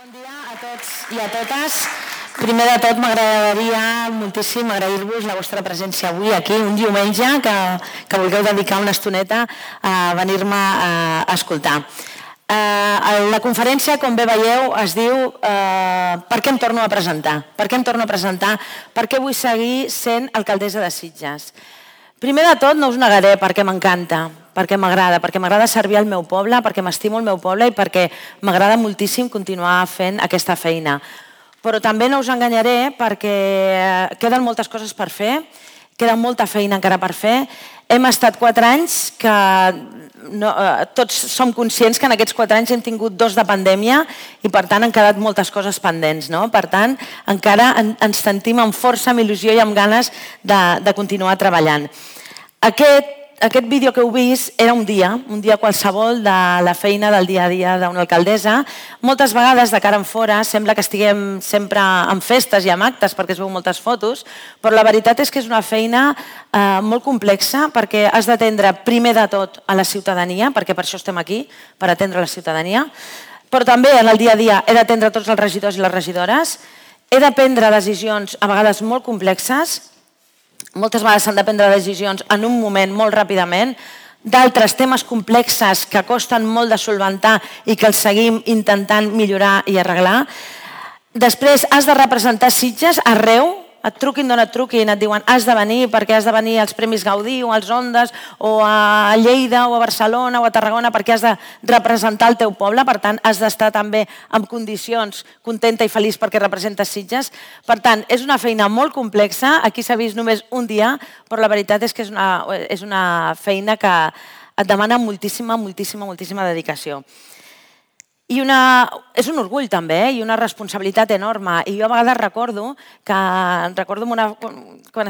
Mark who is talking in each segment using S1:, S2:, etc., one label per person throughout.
S1: Bon dia a tots i a totes. Primer de tot m'agradaria moltíssim agrair-vos la vostra presència avui aquí, un diumenge, que vulgueu dedicar una estoneta a venir-me a escoltar. La conferència, com bé veieu, es diu Per què em torno a presentar? Per què em torno a presentar? Per què vull seguir sent alcaldessa de Sitges? Primer de tot, no us negaré perquè m'encanta, perquè m'agrada servir al meu poble, perquè m'estimo el meu poble i perquè m'agrada moltíssim continuar fent aquesta feina. Però també no us enganyaré perquè queden moltes coses per fer, queda molta feina encara per fer. Hem estat 4 anys que tots som conscients que en aquests 4 anys hem tingut 2 de pandèmia i per tant han quedat moltes coses pendents. Per tant, encara ens sentim amb força, amb il·lusió i amb ganes de continuar treballant. Aquest vídeo que heu vist era un dia qualsevol de la feina del dia a dia d'una alcaldessa. Moltes vegades, de cara en fora, sembla que estiguem sempre en festes i en actes perquè es veu moltes fotos, però la veritat és que és una feina molt complexa perquè has d'atendre primer de tot a la ciutadania, perquè per això estem aquí, per atendre la ciutadania, però també en el dia a dia he d'atendre tots els regidors i les regidores, he de prendre decisions a vegades molt complexes. Moltes vegades s'han de prendre decisions en un moment molt ràpidament, d'altres temes complexes que costen molt de solventar i que els seguim intentant millorar i arreglar. Després has de representar Sitges arreu, et truquin d'on et truquin, et diuen has de venir perquè has de venir als Premis Gaudí o als Ondes o a Lleida o a Barcelona o a Tarragona perquè has de representar el teu poble, per tant has d'estar també en condicions contenta i feliç perquè representes Sitges. Per tant, és una feina molt complexa, aquí s'ha vist només un dia, però la veritat és que és una feina que et demana moltíssima dedicació. I és un orgull també i una responsabilitat enorme. I jo a vegades recordo quan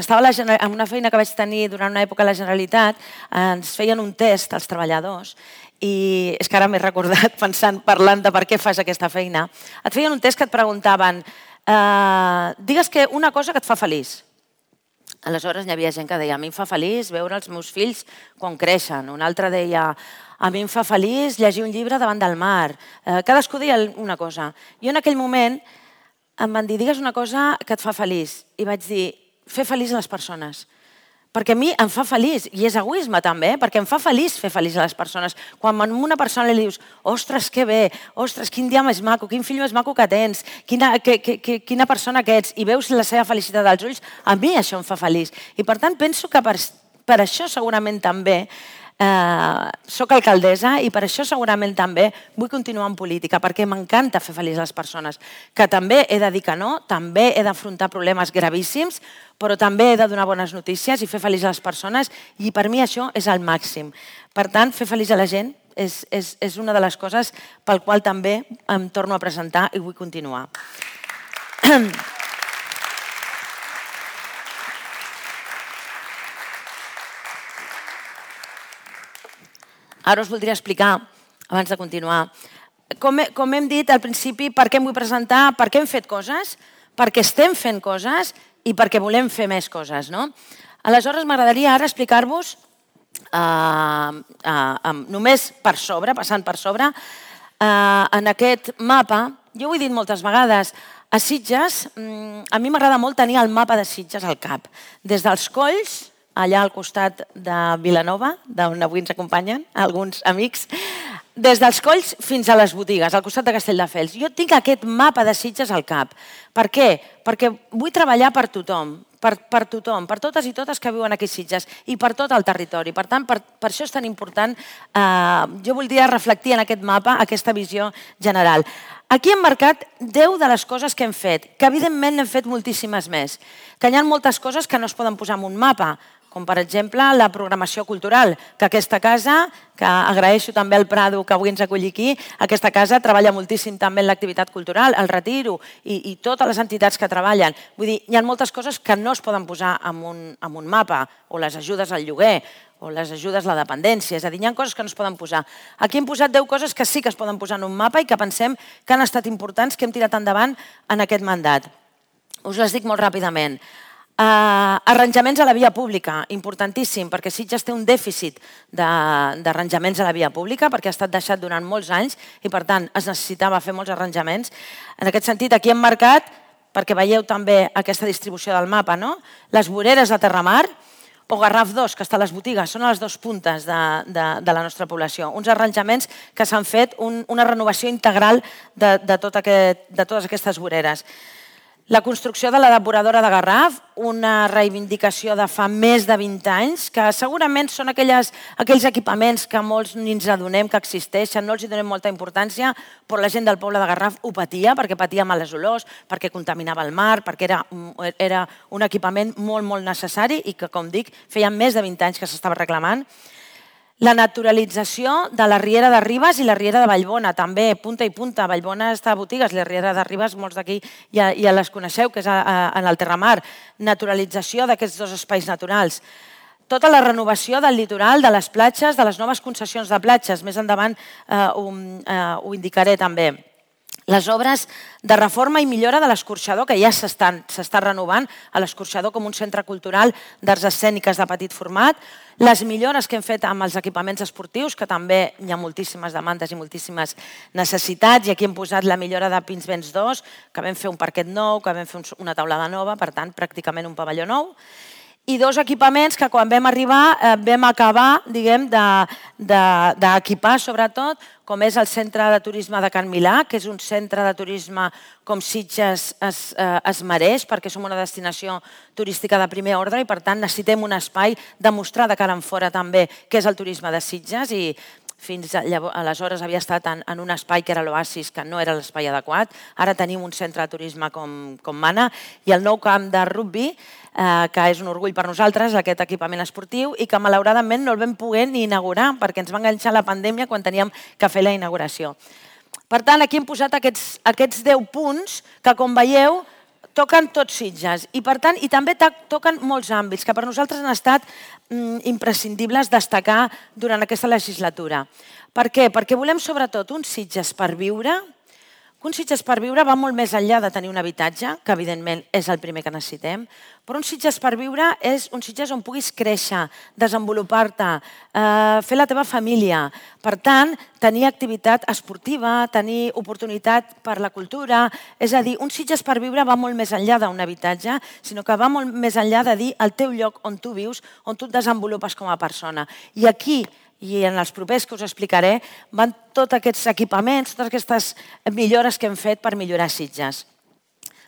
S1: estava en una feina que vaig tenir durant una època a la Generalitat, ens feien un test als treballadors i és que ara m'he recordat parlant de per què fas aquesta feina. Et feien un test que et preguntaven digues que una cosa que et fa feliç. Aleshores hi havia gent que deia a mi em fa feliç veure els meus fills quan creixen. Un altre deia a mi em fa feliç llegir un llibre davant del mar. Cadascú deia una cosa. Jo en aquell moment em van dir digues una cosa que et fa feliç. I vaig dir fer feliç a les persones. Perquè a mi em fa feliç, i és egoisme també, perquè em fa feliç fer feliç a les persones. Quan a una persona li dius ostres, que bé, ostres, quin dia més maco, quin fill més maco que tens, quina persona que ets, i veus la seva felicitat als ulls, a mi això em fa feliç. I per tant penso que per això segurament també soc alcaldessa i per això segurament també vull continuar en política, perquè m'encanta fer feliç a les persones, que també he de dir que no, també he d'afrontar problemes gravíssims, però també he de donar bones notícies i fer feliç a les persones i per mi això és el màxim. Per tant, fer feliç a la gent és una de les coses pel qual també em torno a presentar i vull continuar. Ara us voldria explicar, abans de continuar, com hem dit al principi, per què em vull presentar, per què hem fet coses, per què estem fent coses i per què volem fer més coses. Aleshores, m'agradaria ara explicar-vos, només per sobre, passant per sobre, en aquest mapa, jo ho he dit moltes vegades, a Sitges, a mi m'agrada molt tenir el mapa de Sitges al cap, des dels colls, allà al costat de Vilanova, d'on avui ens acompanyen alguns amics, des dels colls fins a les botigues, al costat de Castelldefels. Jo tinc aquest mapa de Sitges al cap. Per què? Perquè vull treballar per tothom, per tothom, per totes i totes que viuen aquí a Sitges i per tot el territori. Per tant, per això és tan important, jo voldria reflectir en aquest mapa aquesta visió general. Aquí hem marcat 10 de les coses que hem fet, que evidentment n'hem fet moltíssimes més, que hi ha moltes coses que no es poden posar en un mapa, com per exemple la programació cultural, que aquesta casa, que agraeixo també al Prado que avui ens acolli aquí, aquesta casa treballa moltíssim també en l'activitat cultural, el Retiro i totes les entitats que treballen. Vull dir, hi ha moltes coses que no es poden posar en un mapa, o les ajudes al lloguer, o les ajudes a la dependència, és a dir, hi ha coses que no es poden posar. Aquí hem posat 10 coses que sí que es poden posar en un mapa i que pensem que han estat importants, que hem tirat endavant en aquest mandat. Us les dic molt ràpidament. Arranjaments a la via pública, importantíssim, perquè Sitges té un dèficit d'arranjaments a la via pública, perquè ha estat deixat durant molts anys i, per tant, es necessitava fer molts arranjaments. En aquest sentit, aquí hem marcat, perquè veieu també aquesta distribució del mapa, les voreres de Terramar o Garraf 2, que està a les botigues, són a les dues puntes de la nostra població. Uns arranjaments que s'han fet, una renovació integral de totes aquestes voreres. La construcció de la depuradora de Garraf, una reivindicació de fa més de 20 anys, que segurament són aquells equipaments que molts ni ens adonem que existeixen, no els hi donem molta importància, però la gent del poble de Garraf ho patia, perquè patia males olors, perquè contaminava el mar, perquè era un equipament molt, molt necessari i que, com dic, feia més de 20 anys que s'estava reclamant. La naturalització de la Riera de Ribes i la Riera de Vallbona, també, punta i punta. Vallbona està a botigues, la Riera de Ribes, molts d'aquí ja les coneixeu, que és en el Terramar. Naturalització d'aquests dos espais naturals. Tota la renovació del litoral, de les platges, de les noves concessions de platges. Més endavant ho indicaré també. Les obres de reforma i millora de l'Escorxador, que ja s'està renovant a l'Escorxador com un centre cultural d'arts escèniques de petit format, les millores que hem fet amb els equipaments esportius, que també hi ha moltíssimes demandes i moltíssimes necessitats, i aquí hem posat la millora de Pinsbens 2, que vam fer un parquet nou, que vam fer una taulada nova, per tant, pràcticament un pavelló nou, i dos equipaments que quan vam arribar vam acabar d'equipar, sobretot, com és el Centre de Turisme de Can Milà, que és un centre de turisme com Sitges es mereix, perquè som una destinació turística de primer ordre i, per tant, necessitem un espai de mostrar de cara en fora també què és el turisme de Sitges, i fins aleshores havia estat en un espai que era l'Oasis, que no era l'espai adequat. Ara tenim un centre de turisme com mana, i el nou camp de rugby, que és un orgull per nosaltres, aquest equipament esportiu, i que malauradament no el vam poder ni inaugurar, perquè ens va enganxar la pandèmia quan teníem que fer la inauguració. Per tant, aquí hem posat aquests 10 punts que, com veieu, toquen tots Sitges, i per tant, i també toquen molts àmbits que per nosaltres han estat imprescindibles destacar durant aquesta legislatura. Per què? Perquè volem sobretot un Sitges per viure. Un Sitges per viure va molt més enllà de tenir un habitatge, que evidentment és el primer que necessitem, però un Sitges per viure és un Sitges on puguis créixer, desenvolupar-te, fer la teva família. Per tant, tenir activitat esportiva, tenir oportunitat per la cultura, és a dir, un Sitges per viure va molt més enllà d'un habitatge, sinó que va molt més enllà de dir el teu lloc on tu vius, on tu et desenvolupes com a persona. I aquí, i en els propers que us explicaré, van tots aquests equipaments, totes aquestes millores que hem fet per millorar Sitges.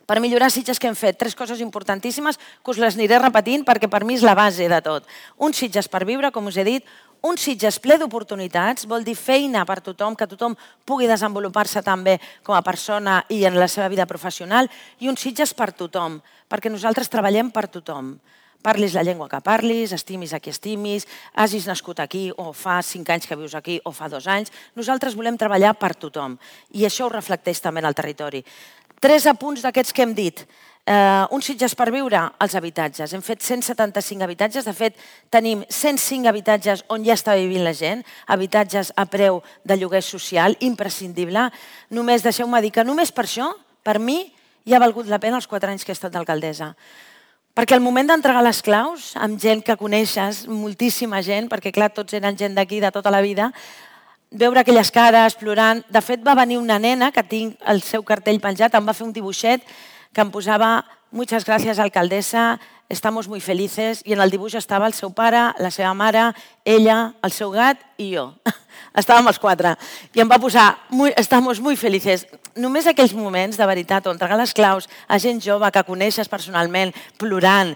S1: Per millorar Sitges que hem fet 3 coses importantíssimes que us les aniré repetint perquè per mi és la base de tot. Un Sitges per viure, com us he dit, un Sitges ple d'oportunitats, vol dir feina per tothom, que tothom pugui desenvolupar-se també com a persona i en la seva vida professional, i un Sitges per tothom, perquè nosaltres treballem per tothom. Parlis la llengua que parlis, estimis a qui estimis, hagis nascut aquí o fa 5 anys que vius aquí o fa 2 anys. Nosaltres volem treballar per tothom i això ho reflecteix també en el territori. 3 apunts d'aquests que hem dit. Un Sitges per viure, els habitatges. Hem fet 175 habitatges, de fet tenim 105 habitatges on ja està vivint la gent, habitatges a preu de lloguer social, imprescindible. Només deixeu-me dir que només per això, per mi, ja ha valgut la pena els 4 anys que he estat d'alcaldessa. Perquè al moment d'entregar les claus, amb gent que coneixes, moltíssima gent, perquè clar, tots eren gent d'aquí de tota la vida, veure aquelles cares plorant. De fet, va venir una nena, que tinc el seu cartell penjat, em va fer un dibuixet que em posava «Muchas gracias, alcaldesa, estamos muy felices», i en el dibuix estava el seu pare, la seva mare, ella, el seu gat i jo. Estàvem els 4. I em va posar «Estamos muy felices». Només aquells moments, de veritat, on entregar les claus a gent jove que coneixes personalment, plorant,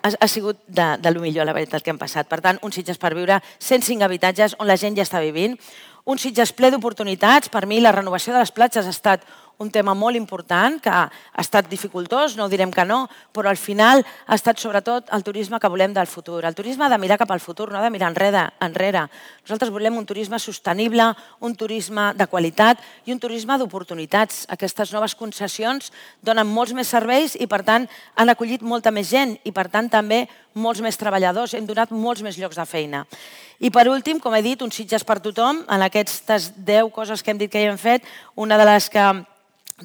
S1: ha sigut de lo millor, la veritat, que hem passat. Per tant, un Sitges per viure, 105 habitatges on la gent ja està vivint. Un Sitges ple d'oportunitats. Per mi, la renovació de les platges ha estat un tema molt important, que ha estat dificultós, no direm que no, però al final ha estat sobretot el turisme que volem del futur. El turisme ha de mirar cap al futur, no ha de mirar enrere. Nosaltres volem un turisme sostenible, un turisme de qualitat i un turisme d'oportunitats. Aquestes noves concessions donen molts més serveis i, per tant, han acollit molta més gent i, per tant, també molts més treballadors. Hem donat molts més llocs de feina. I, per últim, com he dit, un Sitges per tothom. En aquestes 10 coses que hem dit que hi hem fet, una de les que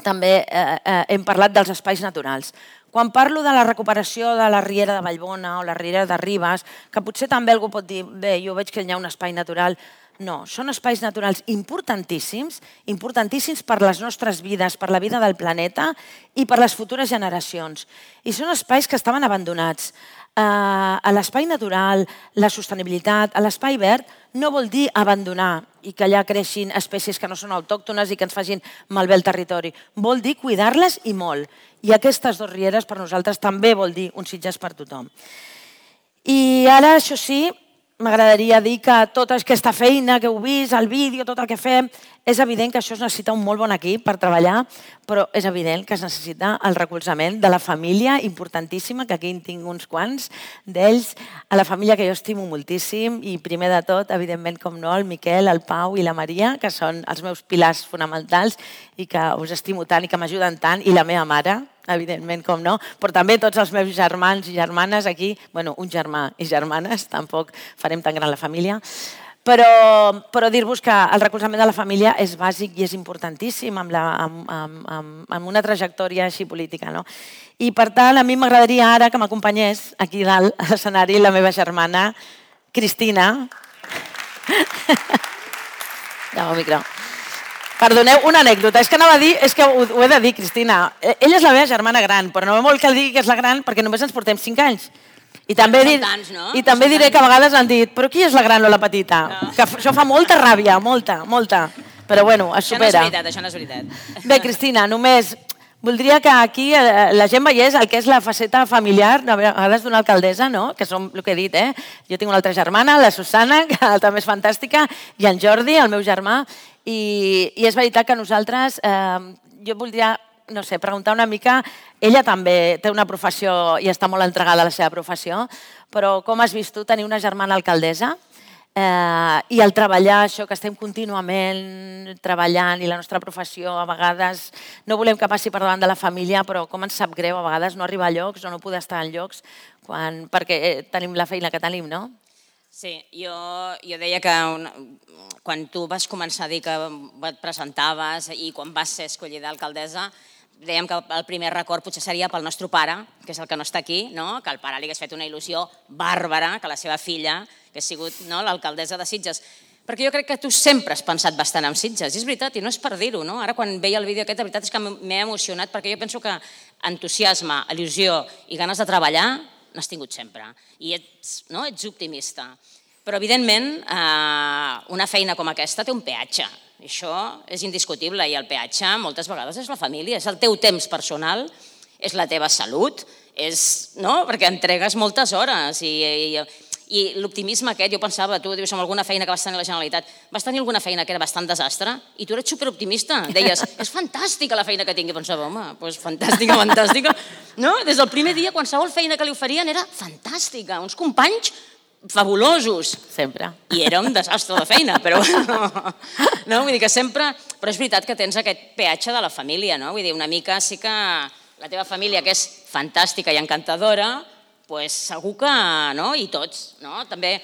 S1: també hem parlat dels espais naturals. Quan parlo de la recuperació de la Riera de Vallbona o la Riera de Ribes, que potser també algú pot dir, bé, jo veig que hi ha un espai natural. No, són espais naturals importantíssims, importantíssims per les nostres vides, per la vida del planeta i per les futures generacions. I són espais que estaven abandonats. A l'espai natural, la sostenibilitat, a l'espai verd, no vol dir abandonar i que allà creixin espècies que no són autòctones i que ens facin malbé el territori. Vol dir cuidar-les i molt. I aquestes dues rieres per nosaltres també vol dir un Sitges per tothom. I ara, això sí, m'agradaria dir que tota aquesta feina que heu vist, el vídeo, tot el que fem, és evident que això es necessita un molt bon equip per treballar, però és evident que es necessita el recolzament de la família, importantíssima, que aquí en tinc uns quants d'ells, a la família que jo estimo moltíssim i primer de tot, evidentment, com no, el Miquel, el Pau i la Maria, que són els meus pilars fonamentals i que us estimo tant i que m'ajuden tant, i la meva mare, evidentment, com no, però també tots els meus germans i germanes aquí, bueno, un germà i germanes, tampoc farem tan gran la família, però dir-vos que el recolzament de la família és bàsic i és importantíssim amb una trajectòria així política. No? I per tant, a mi m'agradaria ara que m'acompanyés aquí dalt a l'escenari la meva germana Cristina. Ja, el micro. Perdoneu, una anècdota. És que anava a dir, és que ho he de dir, Cristina. Ella és la meva germana gran, però no vol que digui que és la gran perquè només ens portem 5 anys. I també diré que a vegades han dit, però qui és la gran o la petita? Que això fa molta ràbia, molta. Però bueno, es supera.
S2: Això no és veritat.
S1: Bé, Cristina, només voldria que aquí la gent veiés el que és la faceta familiar, a vegades d'una alcaldessa, no? Que som el que he dit, Jo tinc una altra germana, la Susana, que també és fantàstica, i en Jordi, el meu germà, i és veritat que nosaltres, jo voldria, no sé, preguntar una mica, ella també té una professió i està molt entregada a la seva professió, però com has vist tu tenir una germana alcaldessa i el treballar això, que estem contínuament treballant i la nostra professió a vegades no volem que passi per davant de la família, però com ens sap greu a vegades no arribar a llocs o no poder estar en llocs perquè tenim la feina que tenim, no?
S2: Sí, jo deia que quan tu vas començar a dir que et presentaves i quan vas ser escollida alcaldessa, dèiem que el primer record potser seria pel nostre pare, que és el que no està aquí, que el pare li hagués fet una il·lusió bàrbara, que la seva filla hagués sigut l'alcaldessa de Sitges. Perquè jo crec que tu sempre has pensat bastant en Sitges, i és veritat, i no és per dir-ho. Ara quan veia el vídeo aquest, la veritat és que m'he emocionat, perquè jo penso que entusiasme, il·lusió i ganes de treballar n'has tingut sempre, i ets optimista. Però, evidentment, una feina com aquesta té un peatge. Això és indiscutible, i el peatge moltes vegades és la família, és el teu temps personal, és la teva salut, perquè entregues moltes hores i l'optimisme aquest, jo pensava, tu dius, amb alguna feina que vas tenir a la Generalitat, vas tenir alguna feina que era bastant desastre i tu eres superoptimista, deies, és fantàstica la feina que tinc, i pensava, home, doncs fantàstica, des del primer dia qualsevol feina que li oferien era fantàstica, uns companys fabulosos.
S1: Sempre.
S2: I era un desastre de feina, però vull dir que sempre... Però és veritat que tens aquest peatge de la família, no? Vull dir, una mica sí que la teva família, que és fantàstica i encantadora, doncs segur que... I tots, no? També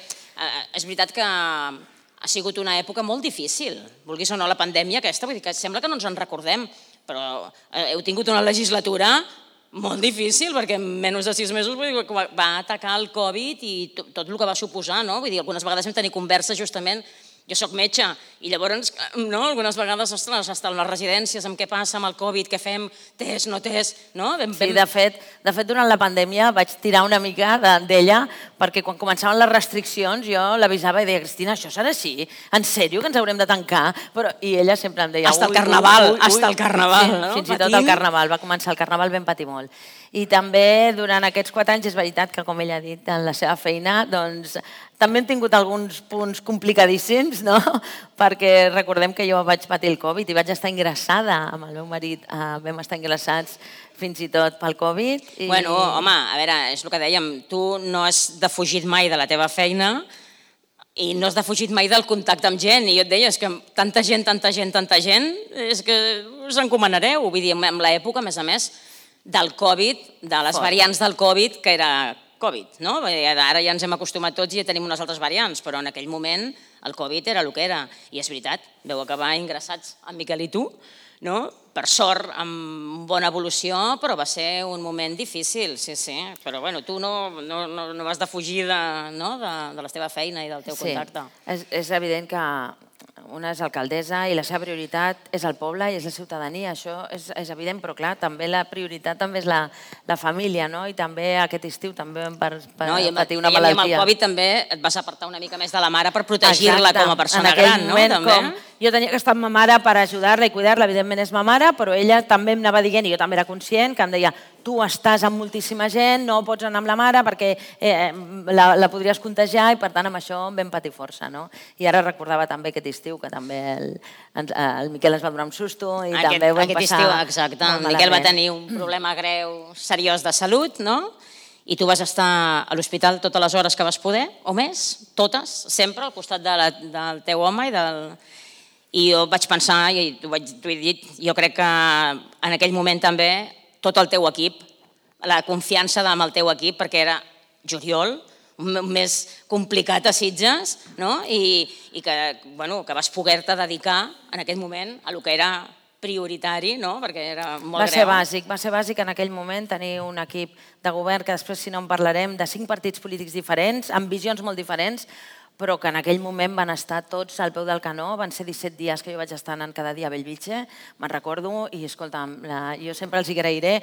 S2: és veritat que ha sigut una època molt difícil, vulguis o no la pandèmia aquesta, vull dir que sembla que no ens en recordem, però heu tingut una legislatura molt difícil, perquè en menys de 6 mesos va atacar el Covid i tot el que va suposar, no? Vull dir, algunes vegades vam tenir converses justament, jo soc metge, i llavors, algunes vegades, ostres, estar a les residències, amb què passa amb el Covid, què fem, test, no test, no?
S1: Sí, de fet, durant la pandèmia vaig tirar una mica d'ella, perquè quan començaven les restriccions jo l'avisava i deia, Cristina, això serà així? En sèrio que ens haurem de tancar? I ella sempre em deia...
S2: Hasta el carnaval, no?
S1: Fins i tot el carnaval, va començar el carnaval, vam patir molt. I també durant aquests 4 anys és veritat que, com ella ha dit, en la seva feina, doncs també hem tingut alguns punts complicadíssims, no? Perquè recordem que jo vaig patir el Covid i vaig estar ingressada amb el meu marit, vam estar ingressats fins i tot pel Covid.
S2: Bueno, home, a veure, és el que dèiem, tu no has defugit mai de la teva feina i no has defugit mai del contacte amb gent, i jo et deia, és que tanta gent, és que us encomanareu, vull dir, en l'època, a més, del Covid, de les variants del Covid, que era Covid, no? Ara ja ens hem acostumat tots i ja tenim unes altres variants, però en aquell moment el Covid era el que era. I és veritat, vau acabar ingressats en Miquel i tu, no? Per sort, amb bona evolució, però va ser un moment difícil, sí. Però bueno, tu no vas defugir de la teva feina i del teu contacte.
S3: És evident que una és alcaldessa i la seva prioritat és el poble i és la ciutadania, això és evident, però clar, també la prioritat també és la família, no? I també aquest estiu també vam patir una malaltia.
S2: I amb el Covid també et vas apartar una mica més de la mare per protegir-la com a persona gran, no?
S3: Jo tenia que estar amb ma mare per ajudar-la i cuidar-la, evidentment és ma mare, però ella també em anava dient, i jo també era conscient, que em deia tu estàs amb moltíssima gent, no pots anar amb la mare perquè la podries contagiar i per tant amb això vam patir força, no? I ara recordava també aquest estiu que també el Miquel es va donar un susto i també ho vam passar molt malament.
S2: Exacte, el Miquel va tenir un problema greu, seriós de salut, no? I tu vas estar a l'hospital totes les hores que vas poder, o més, totes, sempre al costat del teu home i jo vaig pensar, i t'ho he dit, jo crec que en aquell moment també tot el teu equip, la confiança amb el teu equip, perquè era juliol, un mes complicat a Sitges, no? I que vas poder-te dedicar en aquell moment a el que era prioritari, no? Perquè era molt greu.
S3: Va ser bàsic en aquell moment tenir un equip de govern que després, si no en parlarem, de 5 partits polítics diferents, amb visions molt diferents, però que en aquell moment van estar tots al peu del canó, van ser 17 dies que jo vaig estar anant cada dia a Bellvitge, me'n recordo, i escolta'm, jo sempre els agrairé.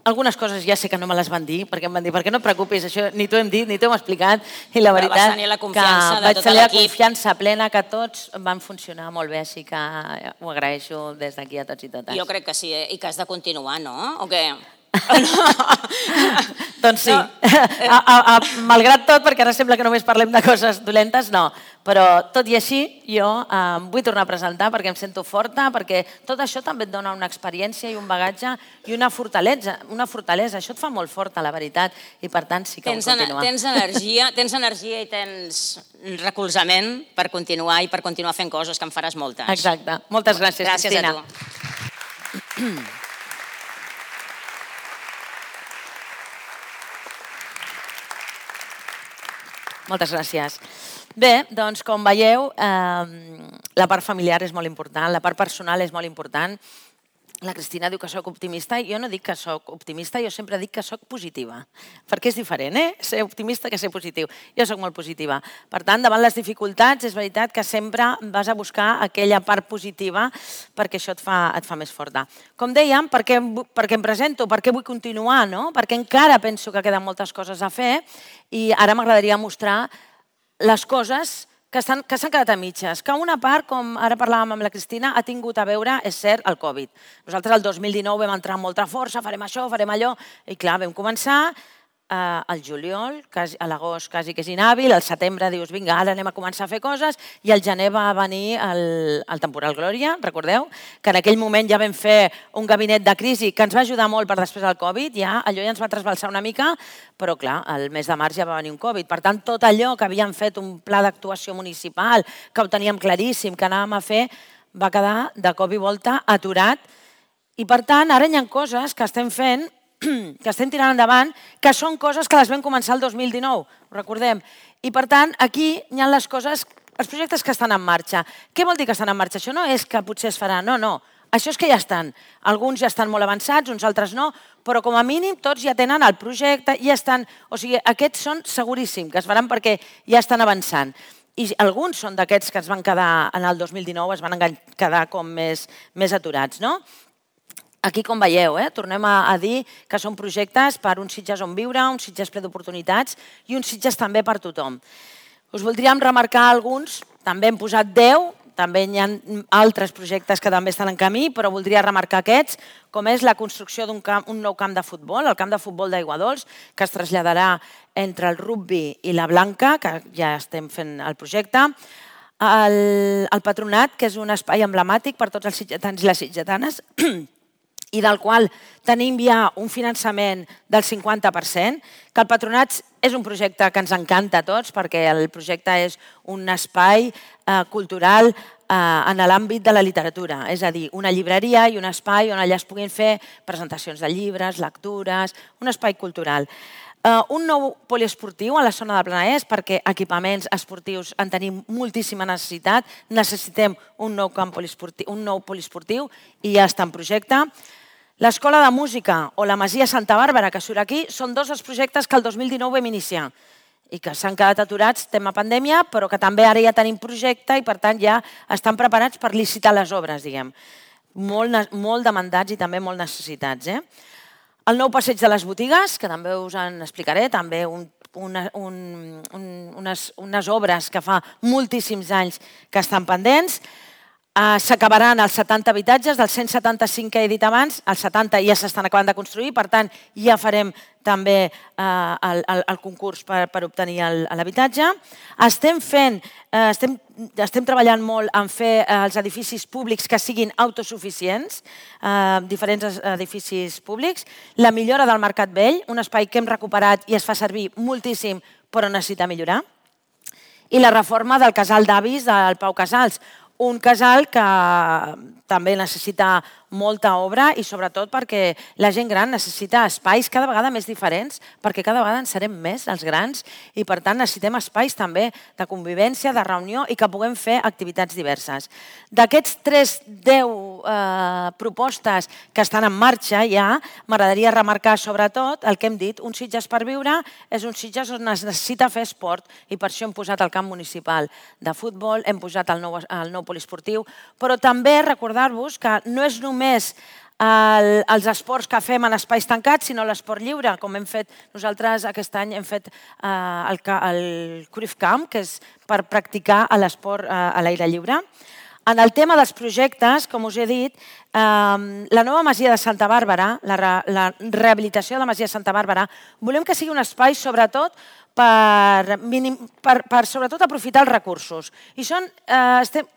S3: Algunes coses ja sé que no me les van dir, perquè em van dir, perquè no et preocupis, això ni t'ho hem dit, ni t'ho hem explicat, i la veritat que vaig tenir la confiança plena que tots van funcionar molt bé, així que ho agraeixo des d'aquí a tots i totes.
S2: Jo crec que sí, i que has de continuar, no? O què?
S3: Doncs sí, malgrat tot, perquè ara sembla que només parlem de coses dolentes, no, però tot i així jo em vull tornar a presentar perquè em sento forta, perquè tot això també et dona una experiència i un bagatge i una fortalesa, això et fa molt forta, la veritat, i per tant sí que vull continuar.
S2: Tens energia i tens recolzament per continuar i per continuar fent coses, que en faràs moltes.
S3: Exacte, moltes gràcies, Cristina.
S2: Gràcies a tu.
S3: Moltes gràcies. Bé, doncs com veieu, la part familiar és molt important, la part personal és molt important. La Cristina diu que soc optimista, jo no dic que soc optimista, jo sempre dic que soc positiva, perquè és diferent, ser optimista que ser positiu. Jo soc molt positiva. Per tant, davant les dificultats, és veritat que sempre vas a buscar aquella part positiva perquè això et fa més forta. Com dèiem, per què em presento, per què vull continuar, perquè encara penso que queden moltes coses a fer i ara m'agradaria mostrar les coses que s'han quedat a mitges, que una part, com ara parlàvem amb la Cristina, ha tingut a veure, és cert, el Covid. Nosaltres el 2019 vam entrar amb molta força, farem això, farem allò, i clar, vam començar al juliol, a l'agost quasi que és inhàbil, al setembre dius, vinga, ara anem a començar a fer coses, i al gener va venir el temporal Glòria, recordeu? Que en aquell moment ja vam fer un gabinet de crisi que ens va ajudar molt per després del Covid, allò ja ens va trasbalsar una mica, però clar, el mes de març ja va venir un Covid. Per tant, tot allò que havíem fet, un pla d'actuació municipal, que ho teníem claríssim, que anàvem a fer, va quedar de cop i volta aturat. I per tant, ara hi ha coses que estem fent, que estem tirant endavant, que són coses que les vam començar el 2019, ho recordem. I per tant, aquí hi ha les coses, els projectes que estan en marxa. Què vol dir que estan en marxa? Això no és que potser es farà, no. Això és que ja estan. Alguns ja estan molt avançats, uns altres no, però com a mínim tots ja tenen el projecte, ja estan... O sigui, aquests són seguríssim que es faran perquè ja estan avançant. I alguns són d'aquests que es van quedar en el 2019, es van quedar com més aturats, no? Aquí, com veieu, tornem a dir que són projectes per un Sitges on viure, un Sitges ple d'oportunitats i un Sitges també per tothom. Us voldríem remarcar alguns, també hem posat 10, també hi ha altres projectes que també estan en camí, però voldria remarcar aquests, com és la construcció d'un nou camp de futbol, el camp de futbol d'Aiguadols, que es traslladarà entre el rugby i la Blanca, que ja estem fent el projecte, el Patronat, que és un espai emblemàtic per tots els sitgetans i les sitgetanes, i del qual tenim ja un finançament del 50%, que el Patronat és un projecte que ens encanta a tots, perquè el projecte és un espai cultural en l'àmbit de la literatura, és a dir, una llibreria i un espai on allà es puguin fer presentacions de llibres, lectures, un espai cultural. Un nou poliesportiu a la zona del Penedès, perquè equipaments esportius en tenim moltíssima necessitat. Necessitem un nou poliesportiu i ja està en projecte. L'Escola de Música o la Masia Santa Bàrbara, que surt aquí, són dos dels projectes que el 2019 vam iniciar i que s'han quedat aturats, tema pandèmia, però que també ara ja tenim projecte i, per tant, ja estan preparats per licitar les obres, diguem. Molt demandats i també molt necessitats. El nou passeig de les botigues, que també us en explicaré, també unes obres que fa moltíssims anys que estan pendents. S'acabaran els 70 habitatges, dels 175 que he dit abans, els 70 ja s'estan acabant de construir, per tant, ja farem també el concurs per obtenir l'habitatge. Estem treballant molt en fer els edificis públics que siguin autosuficients, diferents edificis públics. La millora del Mercat Vell, un espai que hem recuperat i es fa servir moltíssim, però necessita millorar. I la reforma del casal d'avis del Pau Casals, un casal que també necessita molta obra i sobretot perquè la gent gran necessita espais cada vegada més diferents, perquè cada vegada en serem més els grans i per tant necessitem espais també de convivència, de reunió i que puguem fer activitats diverses. D'aquests 10 propostes que estan en marxa ja, m'agradaria remarcar sobretot el que hem dit, un Sitges per viure és un Sitges on es necessita fer esport i per això hem posat el camp municipal de futbol, hem posat el nou poliesportiu, però també recordar-vos que no és només els esports que fem en espais tancats, sinó l'esport lliure, com hem fet nosaltres aquest any, hem fet el Cruyff Camp, que és per practicar l'esport a l'aire lliure. En el tema dels projectes, com us he dit, la nova Masia de Santa Bàrbara, la rehabilitació de la Masia de Santa Bàrbara, volem que sigui un espai sobretot per sobretot aprofitar els recursos. I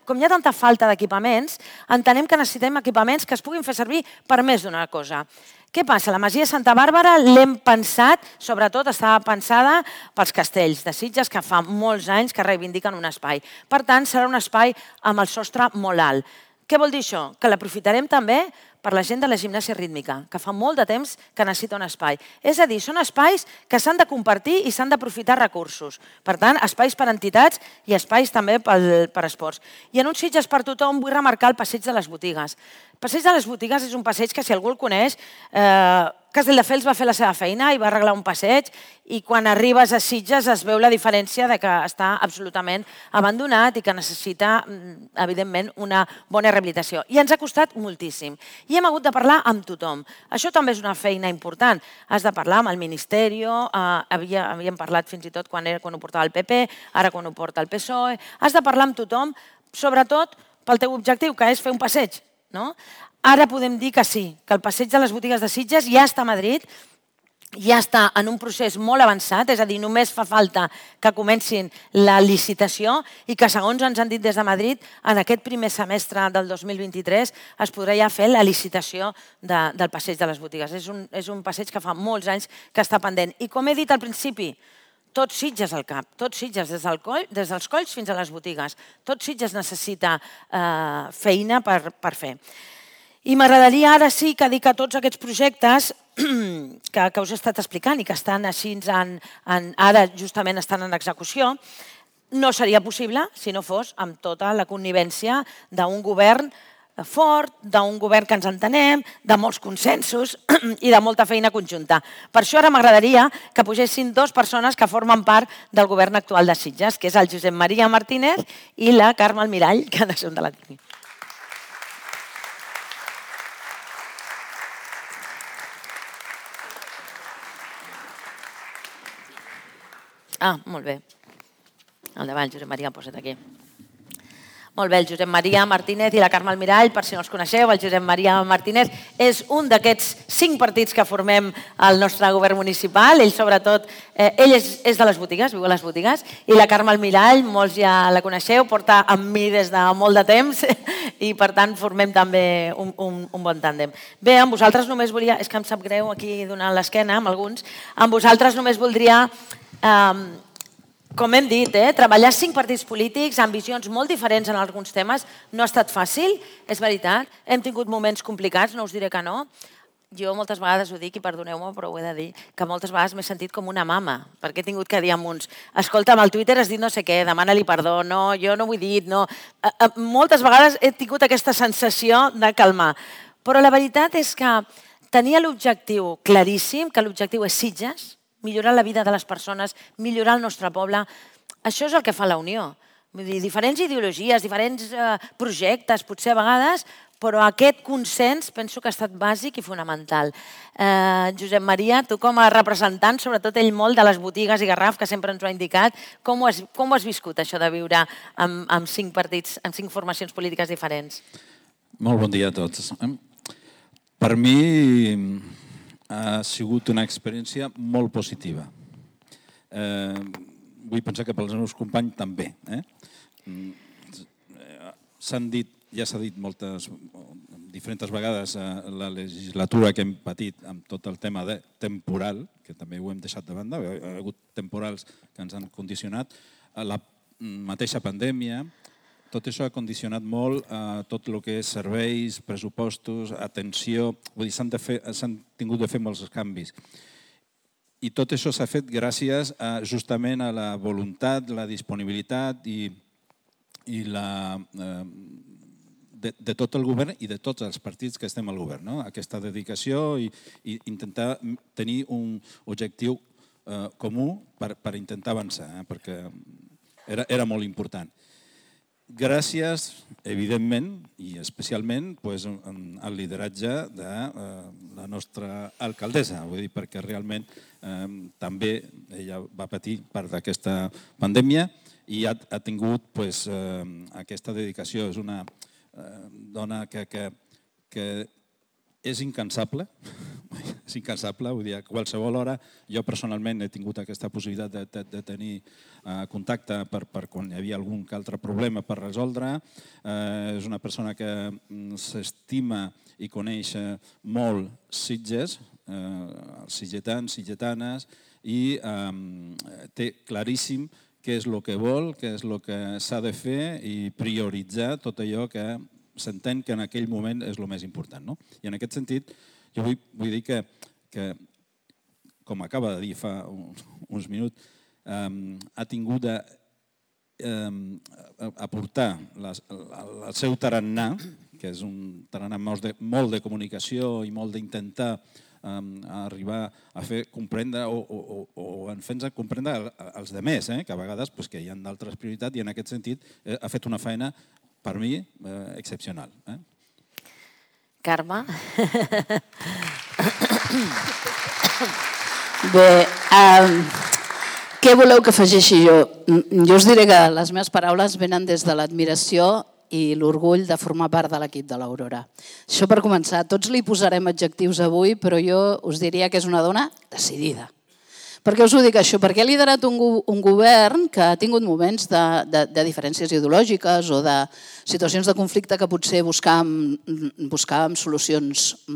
S3: com hi ha tanta falta d'equipaments, entenem que necessitem equipaments que es puguin fer servir per més d'una cosa. Què passa? La Masia de Santa Bàrbara l'hem pensat, sobretot estava pensada pels castells de Sitges, que fa molts anys que reivindiquen un espai. Per tant, serà un espai amb el sostre molt alt. Què vol dir això? Que l'aprofitarem també per la gent de la gimnàsia rítmica, que fa molt de temps que necessita un espai. És a dir, són espais que s'han de compartir i s'han d'aprofitar recursos. Per tant, espais per a entitats i espais també per a esports. I en un Sitges per tothom vull remarcar el passeig de les botigues. El passeig de les botigues és un passeig que, si algú el coneix, Castelldefels va fer la seva feina i va arreglar un passeig i quan arribes a Sitges es veu la diferència de que està absolutament abandonat i que necessita, evidentment, una bona rehabilitació. I ens ha costat moltíssim. I hem hagut de parlar amb tothom. Això també és una feina important. Has de parlar amb el Ministeri, havíem parlat fins i tot quan ho portava el PP, ara quan ho porta el PSOE. Has de parlar amb tothom, sobretot pel teu objectiu, que és fer un passeig. Ara podem dir que sí, que el passeig de les botigues de Sitges ja està a Madrid, ja està en un procés molt avançat, és a dir, només fa falta que comencin la licitació i que, segons ens han dit des de Madrid, en aquest primer semestre del 2023 es podrà ja fer la licitació del passeig de les botigues. És un passeig que fa molts anys que està pendent. I com he dit al principi, tot Sitges al cap, tot Sitges, des dels colls fins a les botigues. Tot Sitges necessita feina per fer. I m'agradaria ara sí que dir que tots aquests projectes que us he estat explicant i que estan així, ara justament estan en execució, no seria possible si no fos amb tota la connivència d'un govern fort, d'un govern que ens entenem, de molts consensos i de molta feina conjunta. Per això ara m'agradaria que pugessin dues persones que formen part del govern actual de Sitges, que és el Josep Maria Martínez i la Carme Almirall, que són de la tècnica. Molt bé. Endavant, Josep Maria, posa't aquí. Molt bé, el Josep Maria Martínez i la Carme Almirall, per si no els coneixeu, el Josep Maria Martínez és un d'aquests 5 partits que formem el nostre govern municipal. Ell, sobretot, ell és de les botigues, viu a les botigues, i la Carme Almirall, molts ja la coneixeu, porta amb mi des de molt de temps i, per tant, formem també un bon tàndem. Bé, amb vosaltres només volia... És que em sap greu aquí donar l'esquena amb alguns. Amb vosaltres només voldria... Com hem dit, treballar 5 partits polítics amb visions molt diferents en alguns temes no ha estat fàcil, és veritat. Hem tingut moments complicats, no us diré que no. jo moltes vegades ho dic, i perdoneu-me, però ho he de dir, que moltes vegades m'he sentit com una mama, perquè he tingut que dir amb uns, escolta'm, al Twitter has dit no sé què, demana-li perdó, no, jo no ho he dit, no. Moltes vegades he tingut aquesta sensació de calmar, però la veritat és que tenia l'objectiu claríssim, que l'objectiu és Sitges, millorar la vida de les persones, millorar el nostre poble. Això és el que fa la Unió. Vull dir, diferents ideologies, diferents projectes, potser a vegades, però aquest consens penso que ha estat bàsic i fonamental. Josep Maria, tu com a representant, sobretot ell molt de les botigues i Garraf, que sempre ens ho ha indicat, com ho has viscut, això de viure amb 5 partits, amb 5 formacions polítiques diferents?
S4: Molt bon dia a tots. Per mi ha sigut una experiència molt positiva. Vull pensar que pels meus companys també. S'han dit, ja s'ha dit diferents vegades la legislatura que hem patit amb tot el tema de temporal, que també ho hem deixat de banda, hi ha hagut temporals que ens han condicionat, la mateixa pandèmia. Tot això ha condicionat molt tot el que és serveis, pressupostos, atenció. Vull dir, s'han tingut de fer molts canvis. I tot això s'ha fet gràcies justament a la voluntat, la disponibilitat de tot el govern i de tots els partits que estem al govern. Aquesta dedicació i intentar tenir un objectiu comú per intentar avançar, perquè era molt important. Gràcies, evidentment, i especialment al lideratge de la nostra alcaldessa, vull dir, perquè realment també ella va patir part d'aquesta pandèmia i ha tingut aquesta dedicació. És una dona que és incansable, vull dir, a qualsevol hora. Jo personalment he tingut aquesta possibilitat de tenir contacte per quan hi havia algun altre problema per resoldre. És una persona que s'estima i coneix molt Sitges, els sitgetans, sitgetanes, i té claríssim què és el que vol, què és el que s'ha de fer i prioritzar tot allò que s'entén que en aquell moment és el més important. I en aquest sentit, jo vull dir que, com acaba de dir fa uns minuts, ha tingut d'aportar el seu tarannà, que és un tarannà molt de comunicació i molt d'intentar arribar a fer comprendre o en fer-nos comprendre als altres, que a vegades hi ha d'altres prioritats, i en aquest sentit ha fet una feina, per mi, excepcional.
S3: Carme?
S5: Bé, què voleu que afegeixi jo? Jo us diré que les meves paraules venen des de l'admiració i l'orgull de formar part de l'equip de l'Aurora. Això per començar. Tots li posarem adjectius avui, però jo us diria que és una dona decidida. Per què us ho dic això? Perquè ha liderat un govern que ha tingut moments de diferències ideològiques o de situacions de conflicte que potser buscàvem solucions,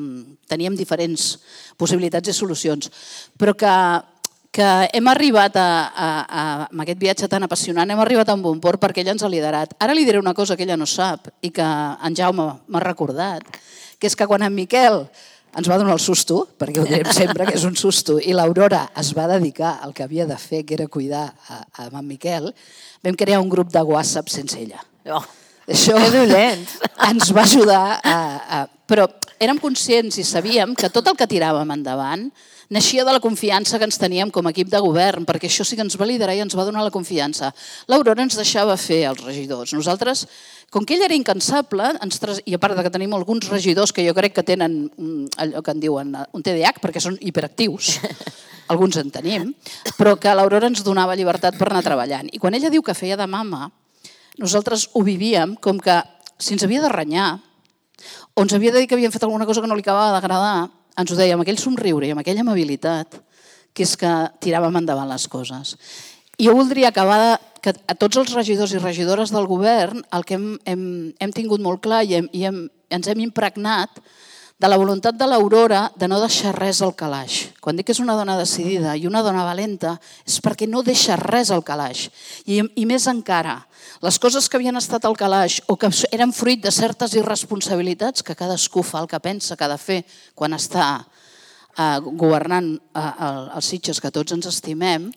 S5: teníem diferents possibilitats i solucions, però que hem arribat amb aquest viatge tan apassionant, hem arribat a un bon port perquè ella ens ha liderat. Ara li diré una cosa que ella no sap i que en Jaume m'ha recordat, que és que quan en Miquel ens va donar el susto, perquè ho direm sempre que és un susto, i l'Aurora es va dedicar al que havia de fer, que era cuidar amb en Miquel, vam crear un grup de WhatsApp sense ella. Això ens va ajudar, però érem conscients i sabíem que tot el que tiràvem endavant naixia de la confiança que ens teníem com a equip de govern, perquè això sí que ens va liderar i ens va donar la confiança. L'Aurora ens deixava fer els regidors. Nosaltres, com que ell era incansable, i a part que tenim alguns regidors que jo crec que tenen allò que en diuen un TDAH, perquè són hiperactius, alguns en tenim, però que l'Aurora ens donava llibertat per anar treballant. I quan ella diu que feia de mama, nosaltres ho vivíem com que si ens havia de renyar o ens havia de dir que havíem fet alguna cosa que no li acabava d'agradar, ens ho deia amb aquell somriure i amb aquella amabilitat, que és que tiràvem endavant les coses. I jo voldria acabar que a tots els regidors i regidores del govern el que hem tingut molt clar i ens hem impregnat de la voluntat de l'Aurora de no deixar res al calaix. Quan dic que és una dona decidida i una dona valenta és perquè no deixa res al calaix. I més encara, les coses que havien estat al calaix o que eren fruit de certes irresponsabilitats que cadascú fa el que pensa que ha de fer quan està governant els Sitges que tots ens estimem,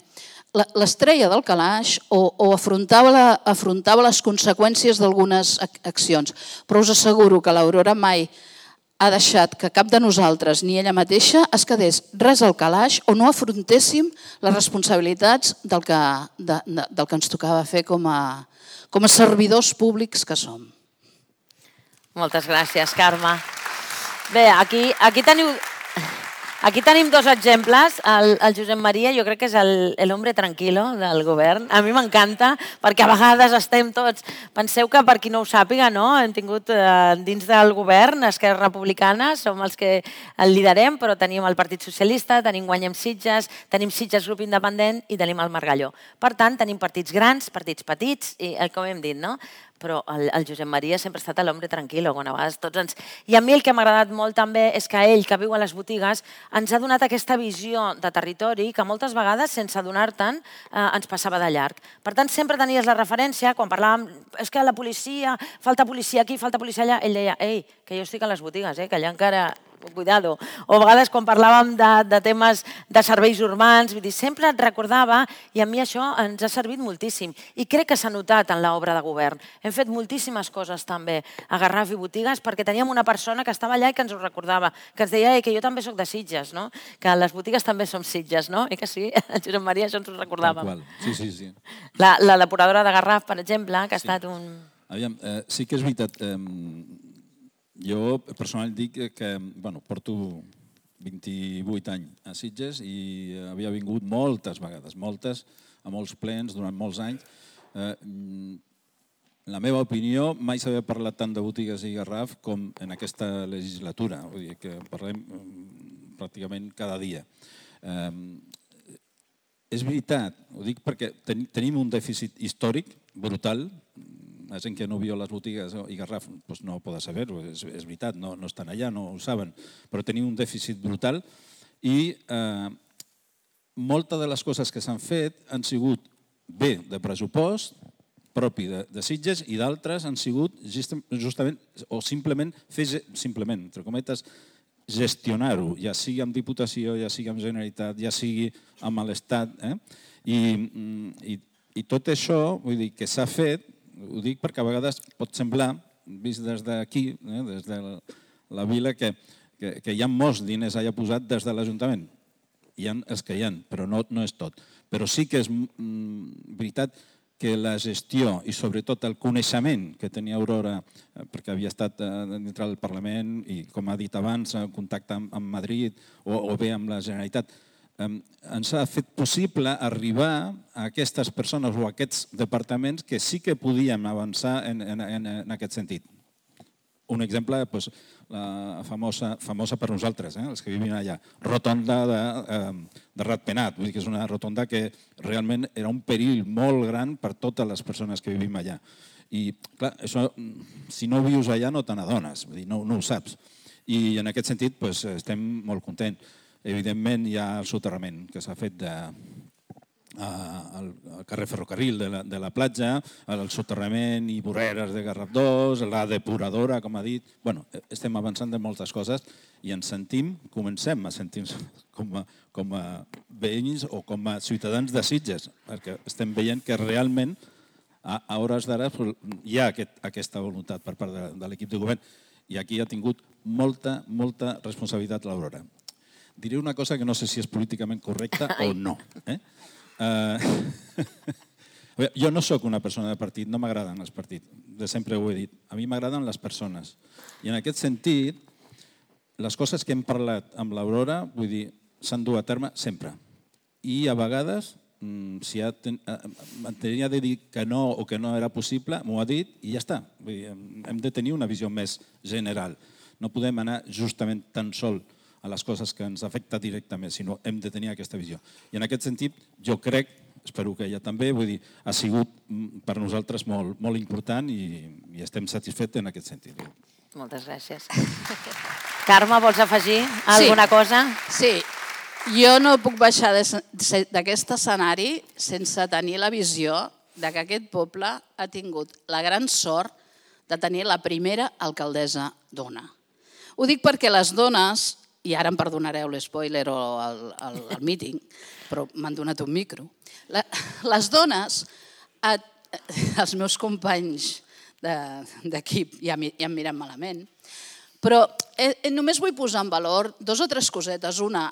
S5: l'estrella del calaix o afrontava les conseqüències d'algunes accions. Però us asseguro que l'Aurora mai ha deixat que cap de nosaltres, ni ella mateixa, es quedés res al calaix o no afrontéssim les responsabilitats del que ens tocava fer com a servidors públics que som.
S3: Moltes gràcies, Carme. Bé, aquí tenim dos exemples. El Josep Maria jo crec que és l'hombre tranquilo del govern. A mi m'encanta perquè a vegades estem tots... Penseu que per qui no ho sàpiga, hem tingut dins del govern Esquerra Republicana, som els que el liderem, però tenim el Partit Socialista, tenim Guanyem Sitges, tenim Sitges Grup Independent i tenim el Margalló. Per tant, tenim partits grans, partits petits, i com hem dit, no? Però el Josep Maria sempre ha estat l'hombre tranquil·lo, quan a vegades tots ens... I a mi el que m'ha agradat molt també és que ell, que viu a les botigues, ens ha donat aquesta visió de territori que moltes vegades, sense adonar-te'n, ens passava de llarg. Per tant, sempre tenies la referència, quan parlàvem, és que la policia, falta policia aquí, falta policia allà, ell deia, ei, que jo estic a les botigues, que allà encara... Cuidado. O a vegades quan parlàvem de temes de serveis urbans, vull dir, sempre et recordava i a mi això ens ha servit moltíssim. I crec que s'ha notat en l'obra de govern. Hem fet moltíssimes coses també a Garraf i botigues perquè teníem una persona que estava allà i que ens ho recordava, que ens deia que jo també soc de Sitges, no? Que les botigues també som Sitges, no? I que sí, Josep Maria, això ens ho recordàvem.
S4: Sí.
S3: La depuradora de Garraf, per exemple, que ha estat un...
S4: Aviam, sí que és veritat. Jo personalment dic que porto 28 anys a Sitges i havia vingut moltes vegades, a molts plens durant molts anys. La meva opinió, mai s'havia parlat tant de botigues i Garraf com en aquesta legislatura, vull dir que parlem pràcticament cada dia. És veritat, ho dic perquè tenim un dèficit històric brutal. La gent que no viu a les botigues i Garraf no ho pot saber, és veritat, no estan allà, no ho saben, però tenim un dèficit brutal i moltes de les coses que s'han fet han sigut bé de pressupost propi de Sitges i d'altres han sigut justament o simplement, entre cometes, gestionar-ho, ja sigui amb Diputació, ja sigui amb Generalitat, ja sigui amb l'Estat. I tot això, vull dir, que s'ha fet, ho dic perquè a vegades pot semblar, vist des d'aquí, des de la vila, que hi ha molts diners allà posats des de l'Ajuntament. Hi ha els que hi ha, però no és tot. Però sí que és veritat que la gestió i sobretot el coneixement que tenia Aurora, perquè havia estat dintre del Parlament i, com ha dit abans, en contacte amb Madrid o bé amb la Generalitat, ens ha fet possible arribar a aquestes persones o a aquests departaments que sí que podíem avançar en aquest sentit. Un exemple, la famosa per nosaltres, els que vivim allà, rotonda de Ratpenat, vull dir que és una rotonda que realment era un perill molt gran per totes les persones que vivim allà. I, clar, això, si no vius allà no te n'adones, no ho saps. I en aquest sentit estem molt contents. Evidentment hi ha el soterrament que s'ha fet al carrer Ferrocarril de la platja, el soterrament i voreres de Garraf 2, la depuradora, com ha dit. Estem avançant de moltes coses i ens comencem a sentir com a veïns o com a ciutadans de Sitges, perquè estem veient que realment a hores d'ara hi ha aquesta voluntat per part de l'equip de govern i aquí ha tingut molta responsabilitat l'Aurora. Diré una cosa que no sé si és políticament correcta o no. Jo no sóc una persona de partit, no m'agraden els partits, de sempre ho he dit. A mi m'agraden les persones. I en aquest sentit, les coses que hem parlat amb l'Aurora, vull dir, s'han dut a terme sempre. I a vegades, si tenia de dir que no o que no era possible, m'ho ha dit i ja està. Hem de tenir una visió més general. No podem anar justament tan sol a les coses que ens afecten directament, sinó hem de tenir aquesta visió. I en aquest sentit, jo crec, espero que ella també, vull dir, ha sigut per nosaltres molt important i estem satisfets en aquest sentit.
S3: Moltes gràcies. Carme, vols afegir alguna cosa?
S5: Sí, jo no puc baixar d'aquest escenari sense tenir la visió de que aquest poble ha tingut la gran sort de tenir la primera alcaldessa dona. Ho dic perquè les dones, i ara em perdonareu l'espoiler o el míting, però m'han donat un micro, les dones, els meus companys d'equip ja em miren malament, però només vull posar en valor 2 o 3 cosetes. Una,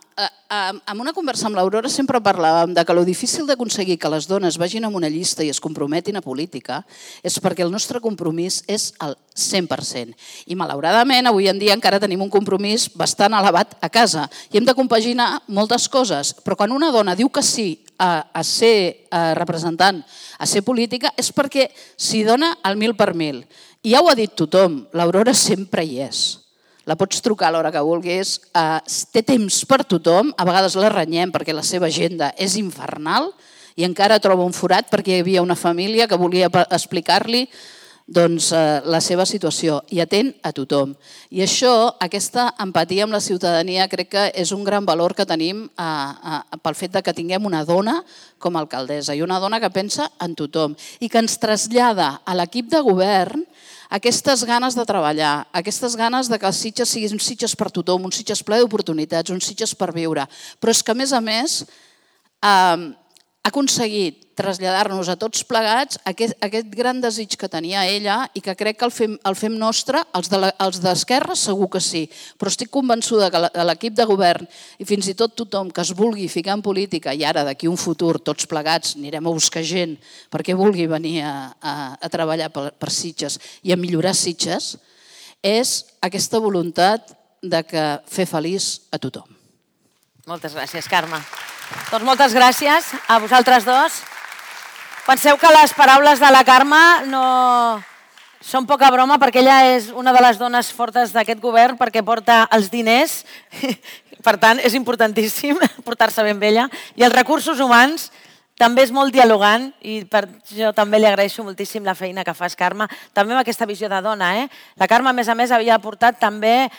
S5: en una conversa amb l'Aurora sempre parlàvem de que lo difícil d'aconseguir que les dones vagin a una llista i es comprometin a política és perquè el nostre compromís és el 100%. I malauradament avui en dia encara tenim un compromís bastant elevat a casa i hem de compaginar moltes coses, però quan una dona diu que sí a ser representant, a ser política, és perquè s'hi dona el 1000 per 1000. I ja ho ha dit tothom, l'Aurora sempre hi és. La pots trucar a l'hora que vulguis, té temps per tothom, a vegades la renyem perquè la seva agenda és infernal i encara troba un forat perquè hi havia una família que volia explicar-li la seva situació i atén a tothom. I això, aquesta empatia amb la ciutadania, crec que és un gran valor que tenim pel fet que tinguem una dona com a alcaldessa i una dona que pensa en tothom i que ens trasllada a l'equip de govern aquestes ganes de treballar, aquestes ganes de que els Sitges siguin Sitges per tothom, un Sitges ple d'oportunitats, un Sitges per viure. Però és que, a més, ha aconseguit traslladar-nos a tots plegats aquest gran desig que tenia ella i que crec que el fem nostre, els d'Esquerra segur que sí, però estic convençuda que l'equip de govern i fins i tot tothom que es vulgui ficar en política i ara d'aquí un futur tots plegats anirem a buscar gent perquè vulgui venir a treballar per Sitges i a millorar Sitges, és aquesta voluntat de fer feliç a tothom.
S3: Moltes gràcies, Carme. Doncs moltes gràcies a vosaltres dos. Penseu que les paraules de la Carme no són poca broma perquè ella és una de les dones fortes d'aquest govern perquè porta els diners, per tant és importantíssim portar-se ben amb ella, i els recursos humans. També és molt dialogant i jo també li agraeixo moltíssim la feina que fas, Carme, també amb aquesta visió de dona. La Carme, a més, havia portat també,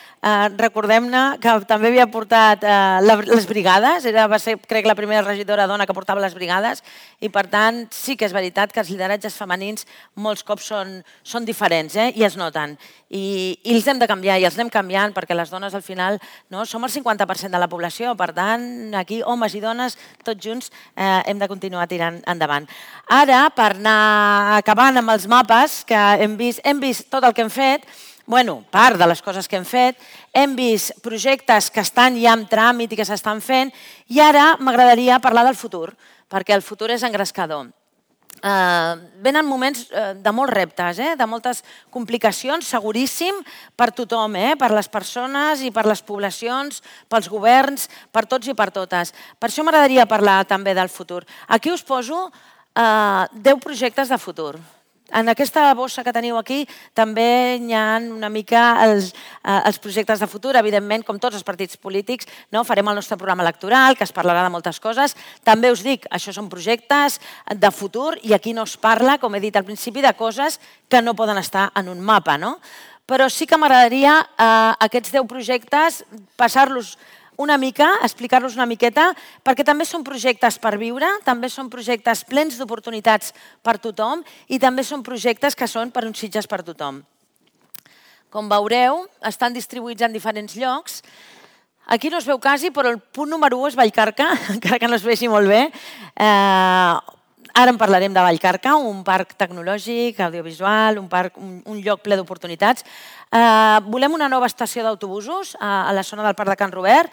S3: recordem-ne, que també havia portat les brigades, va ser, crec, la primera regidora dona que portava les brigades i, per tant, sí que és veritat que els lideratges femenins molts cops són diferents i es noten. I els hem de canviar i els anem canviant perquè les dones, al final, som el 50% de la població, per tant, aquí, homes i dones, tots junts, hem de continuar tirant endavant. Ara, per anar acabant amb els mapes, que hem vist tot el que hem fet, part de les coses que hem fet, hem vist projectes que estan ja en tràmit i que s'estan fent, i ara m'agradaria parlar del futur, perquè el futur és engrescador. Venen moments de molts reptes, de moltes complicacions, seguríssim, per tothom, per les persones i per les poblacions, pels governs, per tots i per totes. Per això m'agradaria parlar també del futur. Aquí us poso 10 projectes de futur. En aquesta bossa que teniu aquí també hi ha una mica els projectes de futur. Evidentment, com tots els partits polítics, farem el nostre programa electoral, que es parlarà de moltes coses. També us dic, això són projectes de futur i aquí no es parla, com he dit al principi, de coses que no poden estar en un mapa. Però sí que m'agradaria aquests 10 projectes passar-los una mica, explicar-los una miqueta, perquè també són projectes per viure, també són projectes plens d'oportunitats per tothom i també són projectes que són per uns Sitges per tothom. Com veureu, estan distribuïts en diferents llocs. Aquí no es veu quasi, però el punt número 1 és Vallcarca, encara que no es vegi molt bé. Ara en parlarem de Vallcarca, un parc tecnològic, audiovisual, un lloc ple d'oportunitats. Volem una nova estació d'autobusos a la zona del Parc de Can Robert,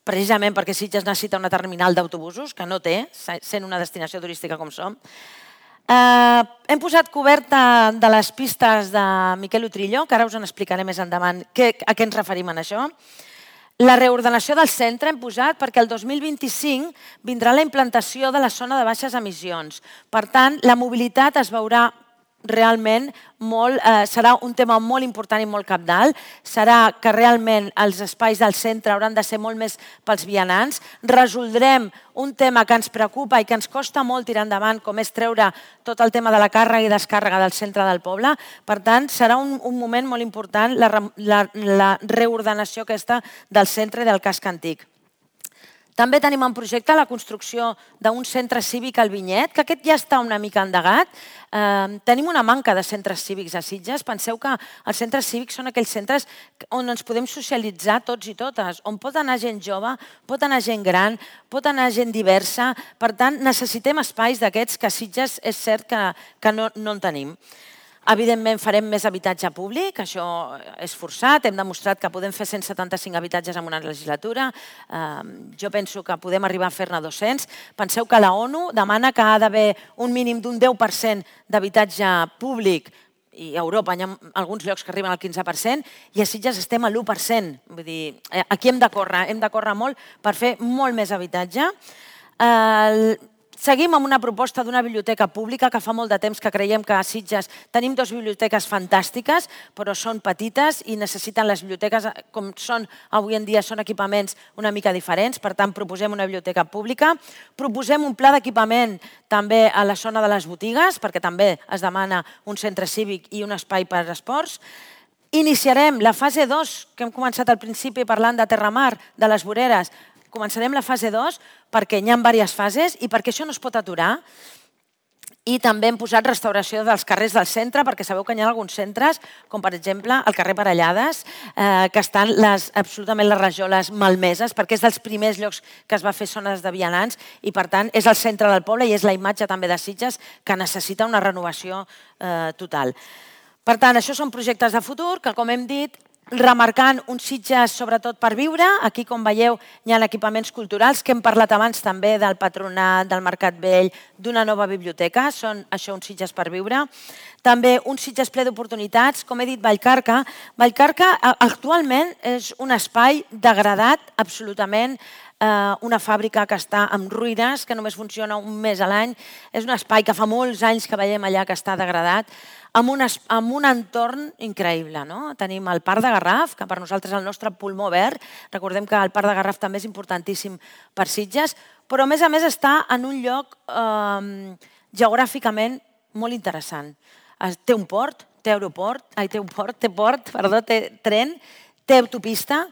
S3: precisament perquè Sitges necessita una terminal d'autobusos, que no té, sent una destinació turística com som. Hem posat coberta de les pistes de Miquel Utrillo, que ara us en explicaré més endavant a què ens referim en això. La reordenació del centre hem posat perquè el 2025 vindrà la implantació de la zona de baixes emissions. Per tant, la mobilitat es veurà realment serà un tema molt important i molt cabdal. Serà que realment els espais del centre hauran de ser molt més pels vianants. Resoldrem un tema que ens preocupa i que ens costa molt tirar endavant, com és treure tot el tema de la càrrega i descàrrega del centre del poble. Per tant, serà un moment molt important la reordenació aquesta del centre i del casc antic. També tenim en projecte la construcció d'un centre cívic al Vinyet, que aquest ja està una mica endegat. Tenim una manca de centres cívics a Sitges. Penseu que els centres cívics són aquells centres on ens podem socialitzar tots i totes, on pot anar gent jove, pot anar gent gran, pot anar gent diversa. Per tant, necessitem espais d'aquests que a Sitges és cert que no en tenim. Evidentment, farem més habitatge públic, això és forçat, hem demostrat que podem fer 175 habitatges en una legislatura, jo penso que podem arribar a fer-ne 200. Penseu que la ONU demana que ha d'haver un mínim d'un 10% d'habitatge públic, i a Europa hi ha alguns llocs que arriben al 15%, i a Sitges estem a l'1%. Vull dir, aquí hem de córrer molt per fer molt més habitatge. Seguim amb una proposta d'una biblioteca pública que fa molt de temps que creiem que a Sitges tenim 2 biblioteques fantàstiques, però són petites i necessiten les biblioteques, com són avui en dia, són equipaments una mica diferents. Per tant, proposem una biblioteca pública. Proposem un pla d'equipament també a la zona de les botigues, perquè també es demana un centre cívic i un espai per a esports. Iniciarem la fase 2, que hem començat al principi parlant de Terramar, de les voreres. Començarem la fase 2 perquè hi ha diverses fases i perquè això no es pot aturar. I també hem posat restauració dels carrers del centre, perquè sabeu que hi ha alguns centres, com per exemple el carrer Parellades, que estan absolutament les rajoles malmeses, perquè és dels primers llocs que es va fer zones de vianants i, per tant, és el centre del poble i és la imatge també de Sitges que necessita una renovació total. Per tant, això són projectes de futur que, com hem dit, remarcant un Sitges sobretot per viure. Aquí, com veieu, hi ha equipaments culturals, que hem parlat abans també del Patronat, del Mercat Vell, d'una nova biblioteca. Són això un Sitges per viure. També un Sitges ple d'oportunitats. Com he dit, Vallcarca. Vallcarca actualment és un espai degradat absolutament, una fàbrica que està en ruïnes, que només funciona un mes a l'any. És un espai que fa molts anys que veiem allà que està degradat, amb un entorn increïble. Tenim el Parc de Garraf, que per nosaltres és el nostre pulmó verd. Recordem que el Parc de Garraf també és importantíssim per Sitges, però a més està en un lloc geogràficament molt interessant. Té un port, té tren, té autopista,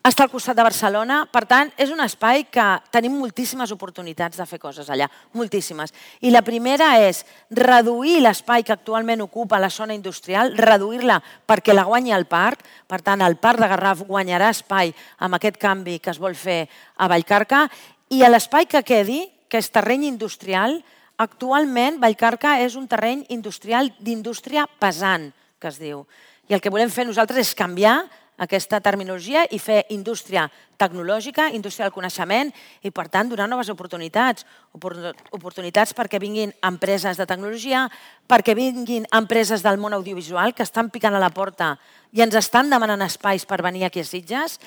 S3: està al costat de Barcelona. Per tant, és un espai que tenim moltíssimes oportunitats de fer coses allà, moltíssimes. I la primera és reduir l'espai que actualment ocupa la zona industrial, reduir-la perquè la guanyi el parc. Per tant, el Parc de Garraf guanyarà espai amb aquest canvi que es vol fer a Vallcarca. I l'espai que quedi, que és terreny industrial, actualment Vallcarca és un terreny industrial d'indústria pesant, que es diu. I el que volem fer nosaltres és canviar aquesta terminologia i fer indústria tecnològica, indústria del coneixement i, per tant, donar noves oportunitats. Oportunitats perquè vinguin empreses de tecnologia, perquè vinguin empreses del món audiovisual que estan picant a la porta i ens estan demanant espais per venir aquí a Sitges,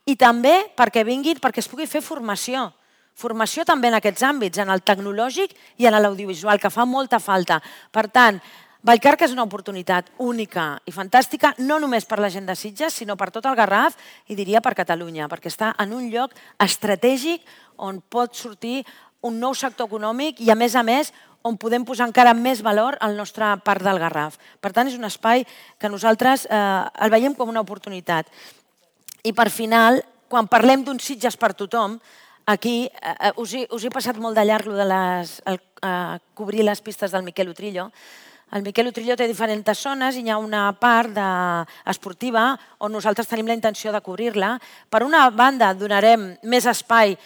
S3: i també perquè vinguin, perquè es pugui fer formació. Formació també en aquests àmbits, en el tecnològic i en l'audiovisual, que fa molta falta. Per tant, Vallcarca és una oportunitat única i fantàstica, no només per la gent de Sitges, sinó per tot el Garraf i diria per Catalunya, perquè està en un lloc estratègic on pot sortir un nou sector econòmic i, a més, on podem posar encara més valor al nostre Parc del Garraf. Per tant, és un espai que nosaltres el veiem com una oportunitat. I per final, quan parlem d'un Sitges per tothom, aquí us he passat molt de llarg cobrir les pistes del Miquel Utrillo. El Miquel Utrillo té diferents zones i hi ha una part esportiva on nosaltres tenim la intenció de cobrir-la. Per una banda, donarem més espai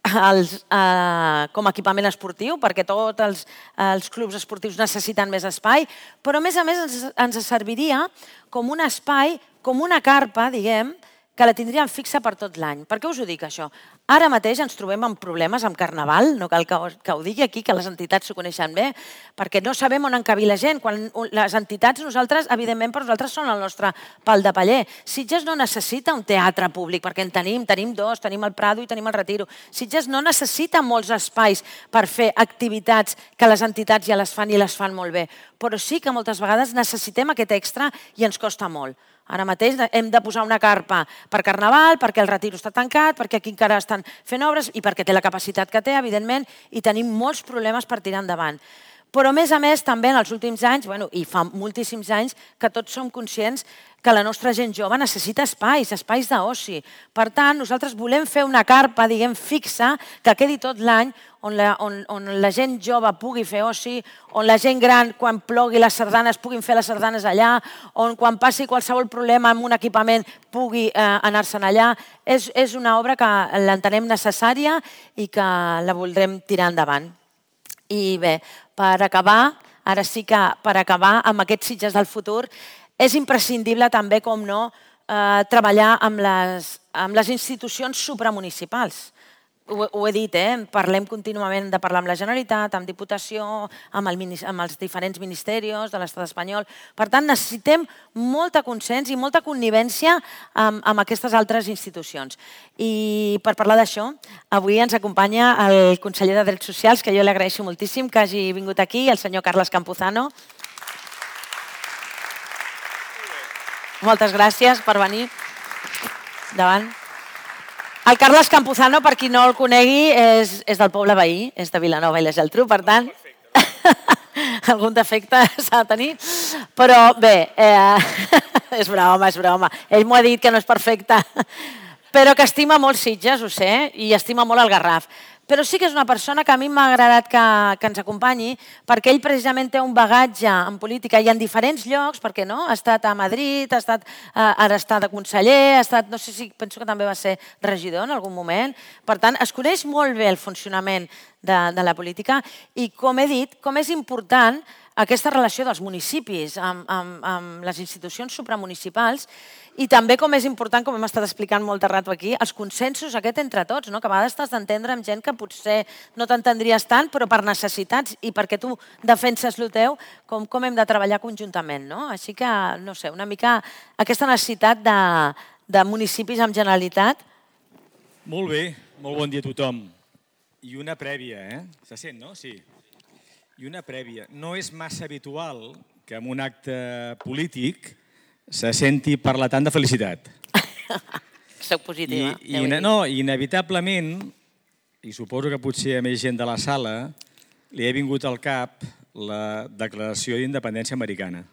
S3: com a equipament esportiu, perquè tots els clubs esportius necessiten més espai, però a més ens serviria com un espai, com una carpa, diguem, que la tindríem fixa per tot l'any. Per què us ho dic, això? Ara mateix ens trobem amb problemes amb Carnaval, no cal que ho digui aquí, que les entitats s'ho coneixen bé, perquè no sabem on encabir la gent. Quan les entitats, nosaltres, evidentment, per nosaltres són el nostre pal de paller. Sitges no necessita un teatre públic, perquè en tenim dos, tenim el Prado i tenim el Retiro. Sitges no necessita molts espais per fer activitats que les entitats ja les fan i les fan molt bé, però sí que moltes vegades necessitem aquest extra i ens costa molt. Ara mateix hem de posar una carpa per Carnaval, perquè el Retiro està tancat, perquè aquí encara estan fent obres i perquè té la capacitat que té, evidentment, i tenim molts problemes per tirar endavant. Però, a més, també en els últims anys, i fa moltíssims anys, que tots som conscients que la nostra gent jove necessita espais d'oci. Per tant, nosaltres volem fer una carpa, diguem, fixa, que quedi tot l'any, on la gent jove pugui fer oci, on la gent gran, quan plogui les sardanes, puguin fer les sardanes allà, on quan passi qualsevol problema amb un equipament pugui anar-se'n allà. És una obra que l'entenem necessària i que la voldrem tirar endavant. I bé, per acabar, ara sí que per acabar amb aquests Sitges del futur, és imprescindible també, com no, treballar amb les institucions supramunicipals. Ho he dit, parlem contínuament de parlar amb la Generalitat, amb Diputació, amb els diferents ministeris de l'Estat espanyol. Per tant, necessitem molta consens i molta connivència amb aquestes altres institucions. I per parlar d'això, avui ens acompanya el conseller de Drets Socials, que jo li agraeixo moltíssim que hagi vingut aquí, el senyor Carles Campuzano. Moltes gràcies per venir. Endavant. El Carles Campuzano, per qui no el conegui, és del poble veí, és de Vilanova i la Geltrú, per tant, algun defecte s'ha de tenir. Però bé, és broma. Ell m'ho ha dit que no és perfecte, però que estima molt Sitges, ho sé, i estima molt el Garraf. Però sí que és una persona que a mi m'ha agradat que ens acompanyi, perquè ell precisament té un bagatge en política i en diferents llocs, perquè no? Ha estat a Madrid, ara està de conseller, no sé si penso que també va ser regidor en algun moment. Per tant, es coneix molt bé el funcionament de la política i, com he dit, com és important aquesta relació dels municipis amb les institucions supramunicipals i també com és important, com hem estat explicant molt de rato aquí, els consensos entre tots, que a vegades t'has d'entendre amb gent que potser no t'entendries tant, però per necessitats i perquè tu defenses el teu, com hem de treballar conjuntament. Així que, no sé, una mica aquesta necessitat de municipis amb Generalitat.
S6: Molt bé, molt bon dia a tothom. I una prèvia, Se sent, no? Sí. I una prèvia. No és massa habitual que en un acte polític se senti parlar tant de felicitat.
S3: Soc positiva.
S6: No, inevitablement, i suposo que potser a més gent de la sala, li ha vingut al cap la Declaració d'Independència Americana,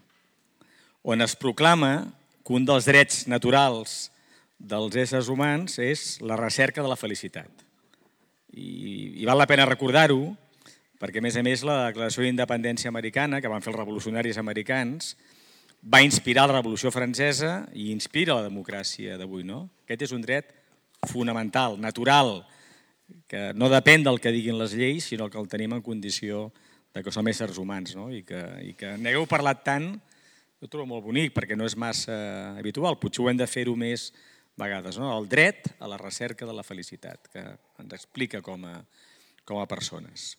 S6: on es proclama que un dels drets naturals dels éssers humans és la recerca de la felicitat. I val la pena recordar-ho, perquè, a més, la Declaració d'Independència Americana, que van fer els revolucionaris americans, va inspirar la Revolució Francesa i inspira la democràcia d'avui. Aquest és un dret fonamental, natural, que no depèn del que diguin les lleis, sinó que el tenim en condició que som éssers humans. I que n'hagueu parlat tant, ho trobo molt bonic, perquè no és massa habitual. Potser ho hem de fer-ho més vegades. El dret a la recerca de la felicitat, que ens explica com a persones.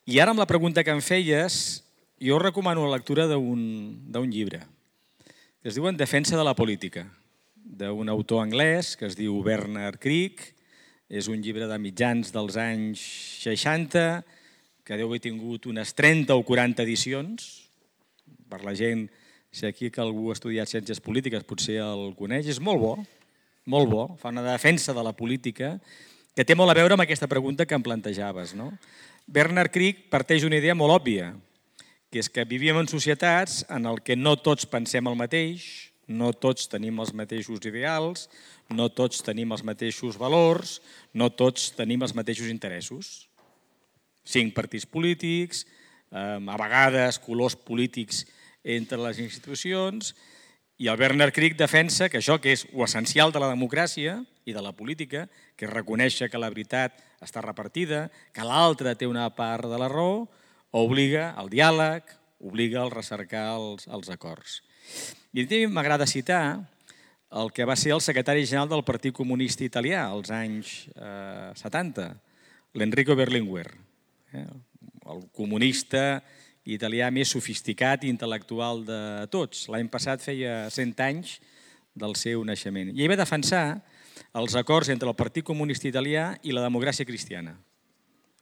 S6: I ara, amb la pregunta que em feies, jo recomano la lectura d'un llibre que es diu En defensa de la política, d'un autor anglès que es diu Bernard Crick. És un llibre de mitjans dels anys 60, que deu haver tingut unes 30 o 40 edicions. Per la gent, si aquí que algú ha estudiat ciències polítiques potser el coneix, és molt bo, fa una defensa de la política que té molt a veure amb aquesta pregunta que em plantejaves. Bernard Crick parteix d'una idea molt òbvia, que és que vivíem en societats en què no tots pensem el mateix, no tots tenim els mateixos ideals, no tots tenim els mateixos valors, no tots tenim els mateixos interessos. 5 partits polítics, a vegades colors polítics entre les institucions, i el Bernard Crick defensa que això, que és l'essencial de la democràcia i de la política, que és reconèixer que la veritat està repartida, que l'altre té una part de la raó, obliga al diàleg, obliga a recercar els acords. I a mi m'agrada citar el que va ser el secretari general del Partit Comunista Italià als anys 70, l'Enrico Berlinguer, el comunista italià més sofisticat i intel·lectual de tots. L'any passat feia 100 anys del seu naixement. I ell va defensar els acords entre el Partit Comunista Italià i la democràcia cristiana,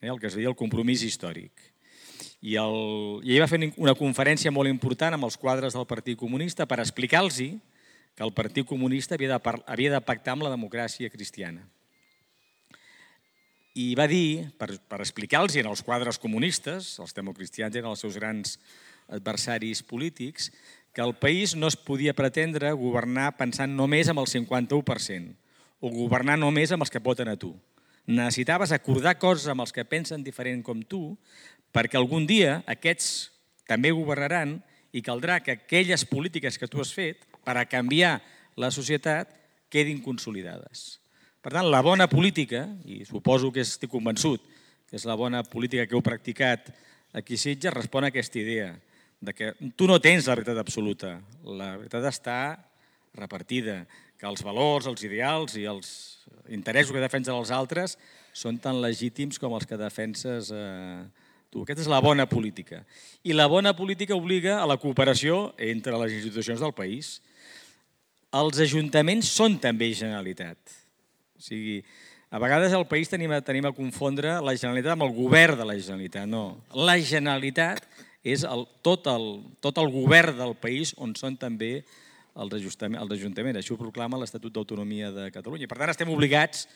S6: el que es deia el compromís històric. I ell va fer una conferència molt important amb els quadres del Partit Comunista per explicar-los que el Partit Comunista havia de pactar amb la democràcia cristiana. I va dir, per explicar-los en els quadres comunistes, els democristians eren els seus grans adversaris polítics, que el país no es podia pretendre governar pensant només amb el 51% o governar només amb els que et voten a tu. Necessitaves acordar coses amb els que pensen diferent com tu perquè algun dia aquests també governaran i caldrà que aquelles polítiques que tu has fet per a canviar la societat quedin consolidades. Per tant, la bona política, i suposo que estic convençut que és la bona política que heu practicat aquí a Sitges, respon a aquesta idea de que tu no tens la veritat absoluta, la veritat està repartida, que els valors, els ideals i els interessos que defensen els altres són tan legítims com els que defenses tu. Aquesta és la bona política. I la bona política obliga a la cooperació entre les institucions del país. Els ajuntaments són també Generalitat. O sigui, a vegades al país tenim a confondre la Generalitat amb el govern de la Generalitat. No, la Generalitat és tot el govern del país on són també els ajuntaments. Això ho proclama l'Estatut d'Autonomia de Catalunya. Per tant, estem obligats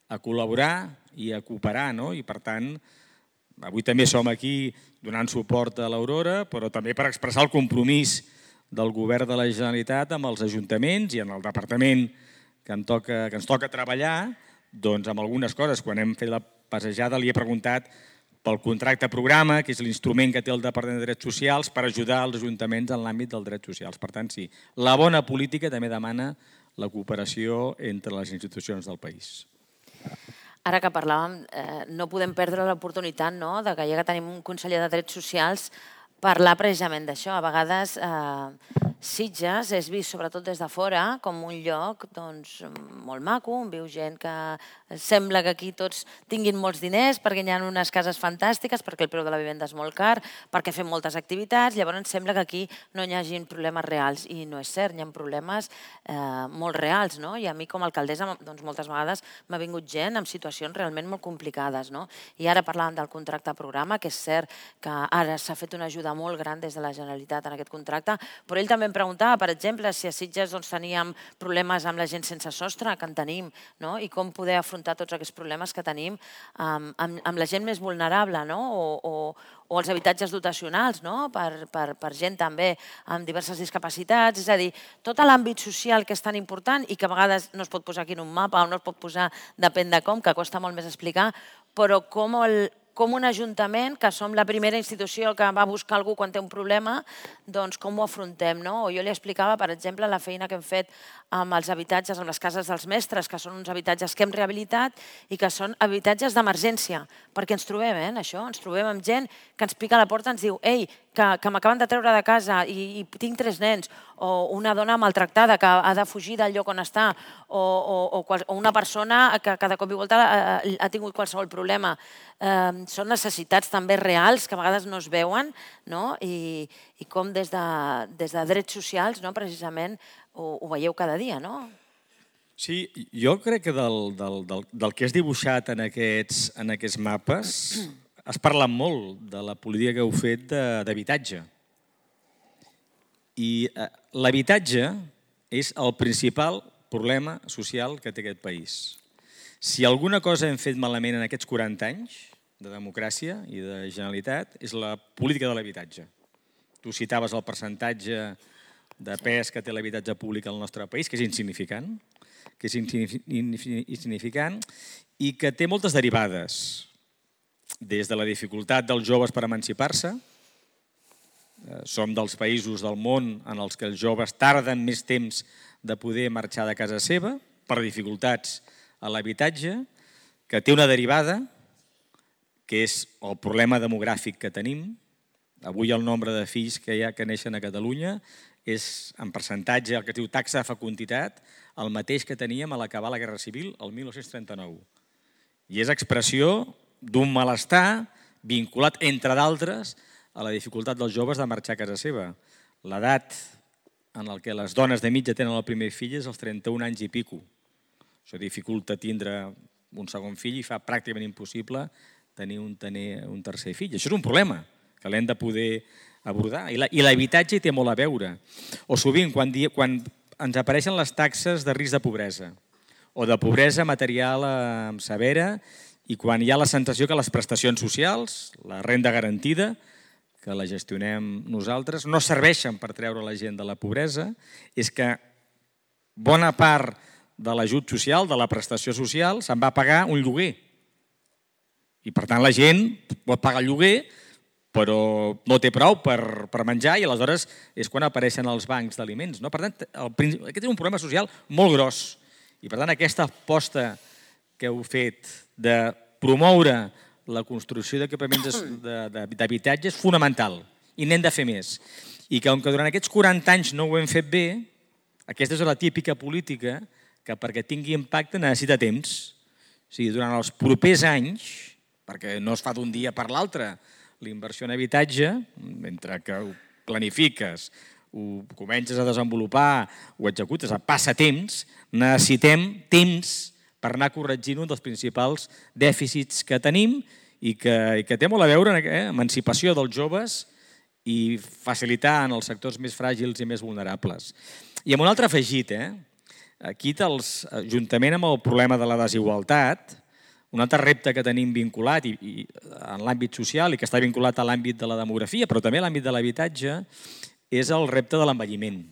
S6: a col·laborar i a cooperar, no? I per tant, avui també som aquí donant suport a l'Aurora, però també per expressar el compromís del govern de la Generalitat amb els ajuntaments i en el departament que ens toca treballar, doncs amb algunes coses. Quan hem fet la passejada li he preguntat pel contracte programa, que és l'instrument que té el Departament de Drets Socials per ajudar els ajuntaments en l'àmbit dels drets socials. Per tant, sí, la bona política també demana la cooperació entre les institucions del país.
S3: Ara que parlàvem, no podem perdre l'oportunitat de que ja que tenim un conseller de Drets Socials parlar precisament d'això. A vegades Sitges és vist, sobretot des de fora, com un lloc molt maco, on viu gent que sembla que aquí tots tinguin molts diners perquè hi ha unes cases fantàstiques, perquè el preu de la vivenda és molt car, perquè fem moltes activitats, llavors sembla que aquí no hi hagi problemes reals. I no és cert, hi ha problemes molt reals. I a mi com a alcaldessa moltes vegades m'ha vingut gent amb situacions realment molt complicades. I ara parlàvem del contracte programa, que és cert que ara s'ha fet una ajuda molt gran des de la Generalitat en aquest contracte, però ell també em preguntava, per exemple, si a Sitges teníem problemes amb la gent sense sostre, que en tenim, i com poder afrontar tots aquests problemes que tenim amb la gent més vulnerable, o els habitatges dotacionals per gent també amb diverses discapacitats. És a dir, tot l'àmbit social que és tan important i que a vegades no es pot posar aquí en un mapa o no es pot posar, depèn de com, que costa molt més explicar, però com un ajuntament, que som la primera institució que va buscar algú quan té un problema, doncs com ho afrontem. O jo li explicava, per exemple, la feina que hem fet amb els habitatges, amb les cases dels mestres, que són uns habitatges que hem rehabilitat i que són habitatges d'emergència, perquè ens trobem, això, ens trobem amb gent que ens pica a la porta i ens diu «Ei, que m'acaben de treure de casa i tinc 3 nens», o una dona maltractada que ha de fugir del lloc on està, o una persona que de cop i volta ha tingut qualsevol problema. Són necessitats també reals que a vegades no es veuen i com des de drets socials precisament ho veieu cada dia, no?
S6: Sí, jo crec que del que has dibuixat en aquests mapes has parlat molt de la política que heu fet d'habitatge. I l'habitatge és el principal problema social que té aquest país. Si alguna cosa hem fet malament en aquests 40 anys de democràcia i de Generalitat és la política de l'habitatge. Tu citaves el percentatge de pes que té l'habitatge públic al nostre país, que és insignificant, i que té moltes derivades, des de la dificultat dels joves per emancipar-se. Som dels països del món en els que els joves tarden més temps de poder marxar de casa seva per dificultats a l'habitatge, que té una derivada, que és el problema demogràfic que tenim. Avui el nombre de fills que neixen a Catalunya és, en percentatge, el que es diu taxa de fecunditat, el mateix que teníem a l'acabar la Guerra Civil el 1939. I és expressió d'un malestar vinculat, entre d'altres, a la dificultat dels joves de marxar a casa seva. L'edat en què les dones de mitja tenen el primer fill és als 31 anys i pico. Això dificulta tindre un segon fill i fa pràcticament impossible tenir un tercer fill. Això és un problema que l'hem de poder abordar. I l'habitatge hi té molt a veure. O sovint, quan ens apareixen les taxes de risc de pobresa o de pobresa material severa i quan hi ha la sensació que les prestacions socials, la renda garantida, que la gestionem nosaltres, no serveixen per treure la gent de la pobresa, és que bona part de l'ajut social, de la prestació social, se'n va pagar un lloguer. I per tant la gent pot pagar el lloguer, però no té prou per menjar i aleshores és quan apareixen els bancs d'aliments. Per tant, aquest és un problema social molt gros. I per tant, aquesta aposta que heu fet de promoure la construcció d'equipaments d'habitatge és fonamental i n'hem de fer més. I que, com que durant aquests 40 anys no ho hem fet bé, aquesta és la típica política que perquè tingui impacte necessita temps. O sigui, durant els propers anys, perquè no es fa d'un dia per l'altre, la inversió en habitatge, mentre que ho planifiques, ho comences a desenvolupar, ho executes, passa temps, necessitem temps per anar corregint un dels principals dèficits que tenim i que té molt a veure amb emancipació dels joves i facilitar en els sectors més fràgils i més vulnerables. I amb un altre afegit, aquí, juntament amb el problema de la desigualtat, un altre repte que tenim vinculat en l'àmbit social i que està vinculat a l'àmbit de la demografia, però també a l'àmbit de l'habitatge, és el repte de l'envelliment.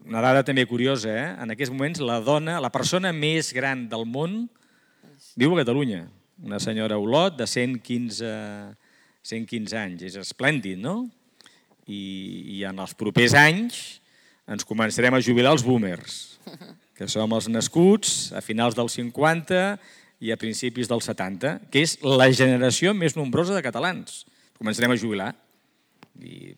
S6: Una dada també curiosa, en aquests moments la persona més gran del món viu a Catalunya, una senyora Olot de 115 anys. És esplèndid, no? I en els propers anys ens començarem a jubilar els boomers, que som els nascuts a finals dels 50 i a principis dels 70, que és la generació més nombrosa de catalans. Començarem a jubilar i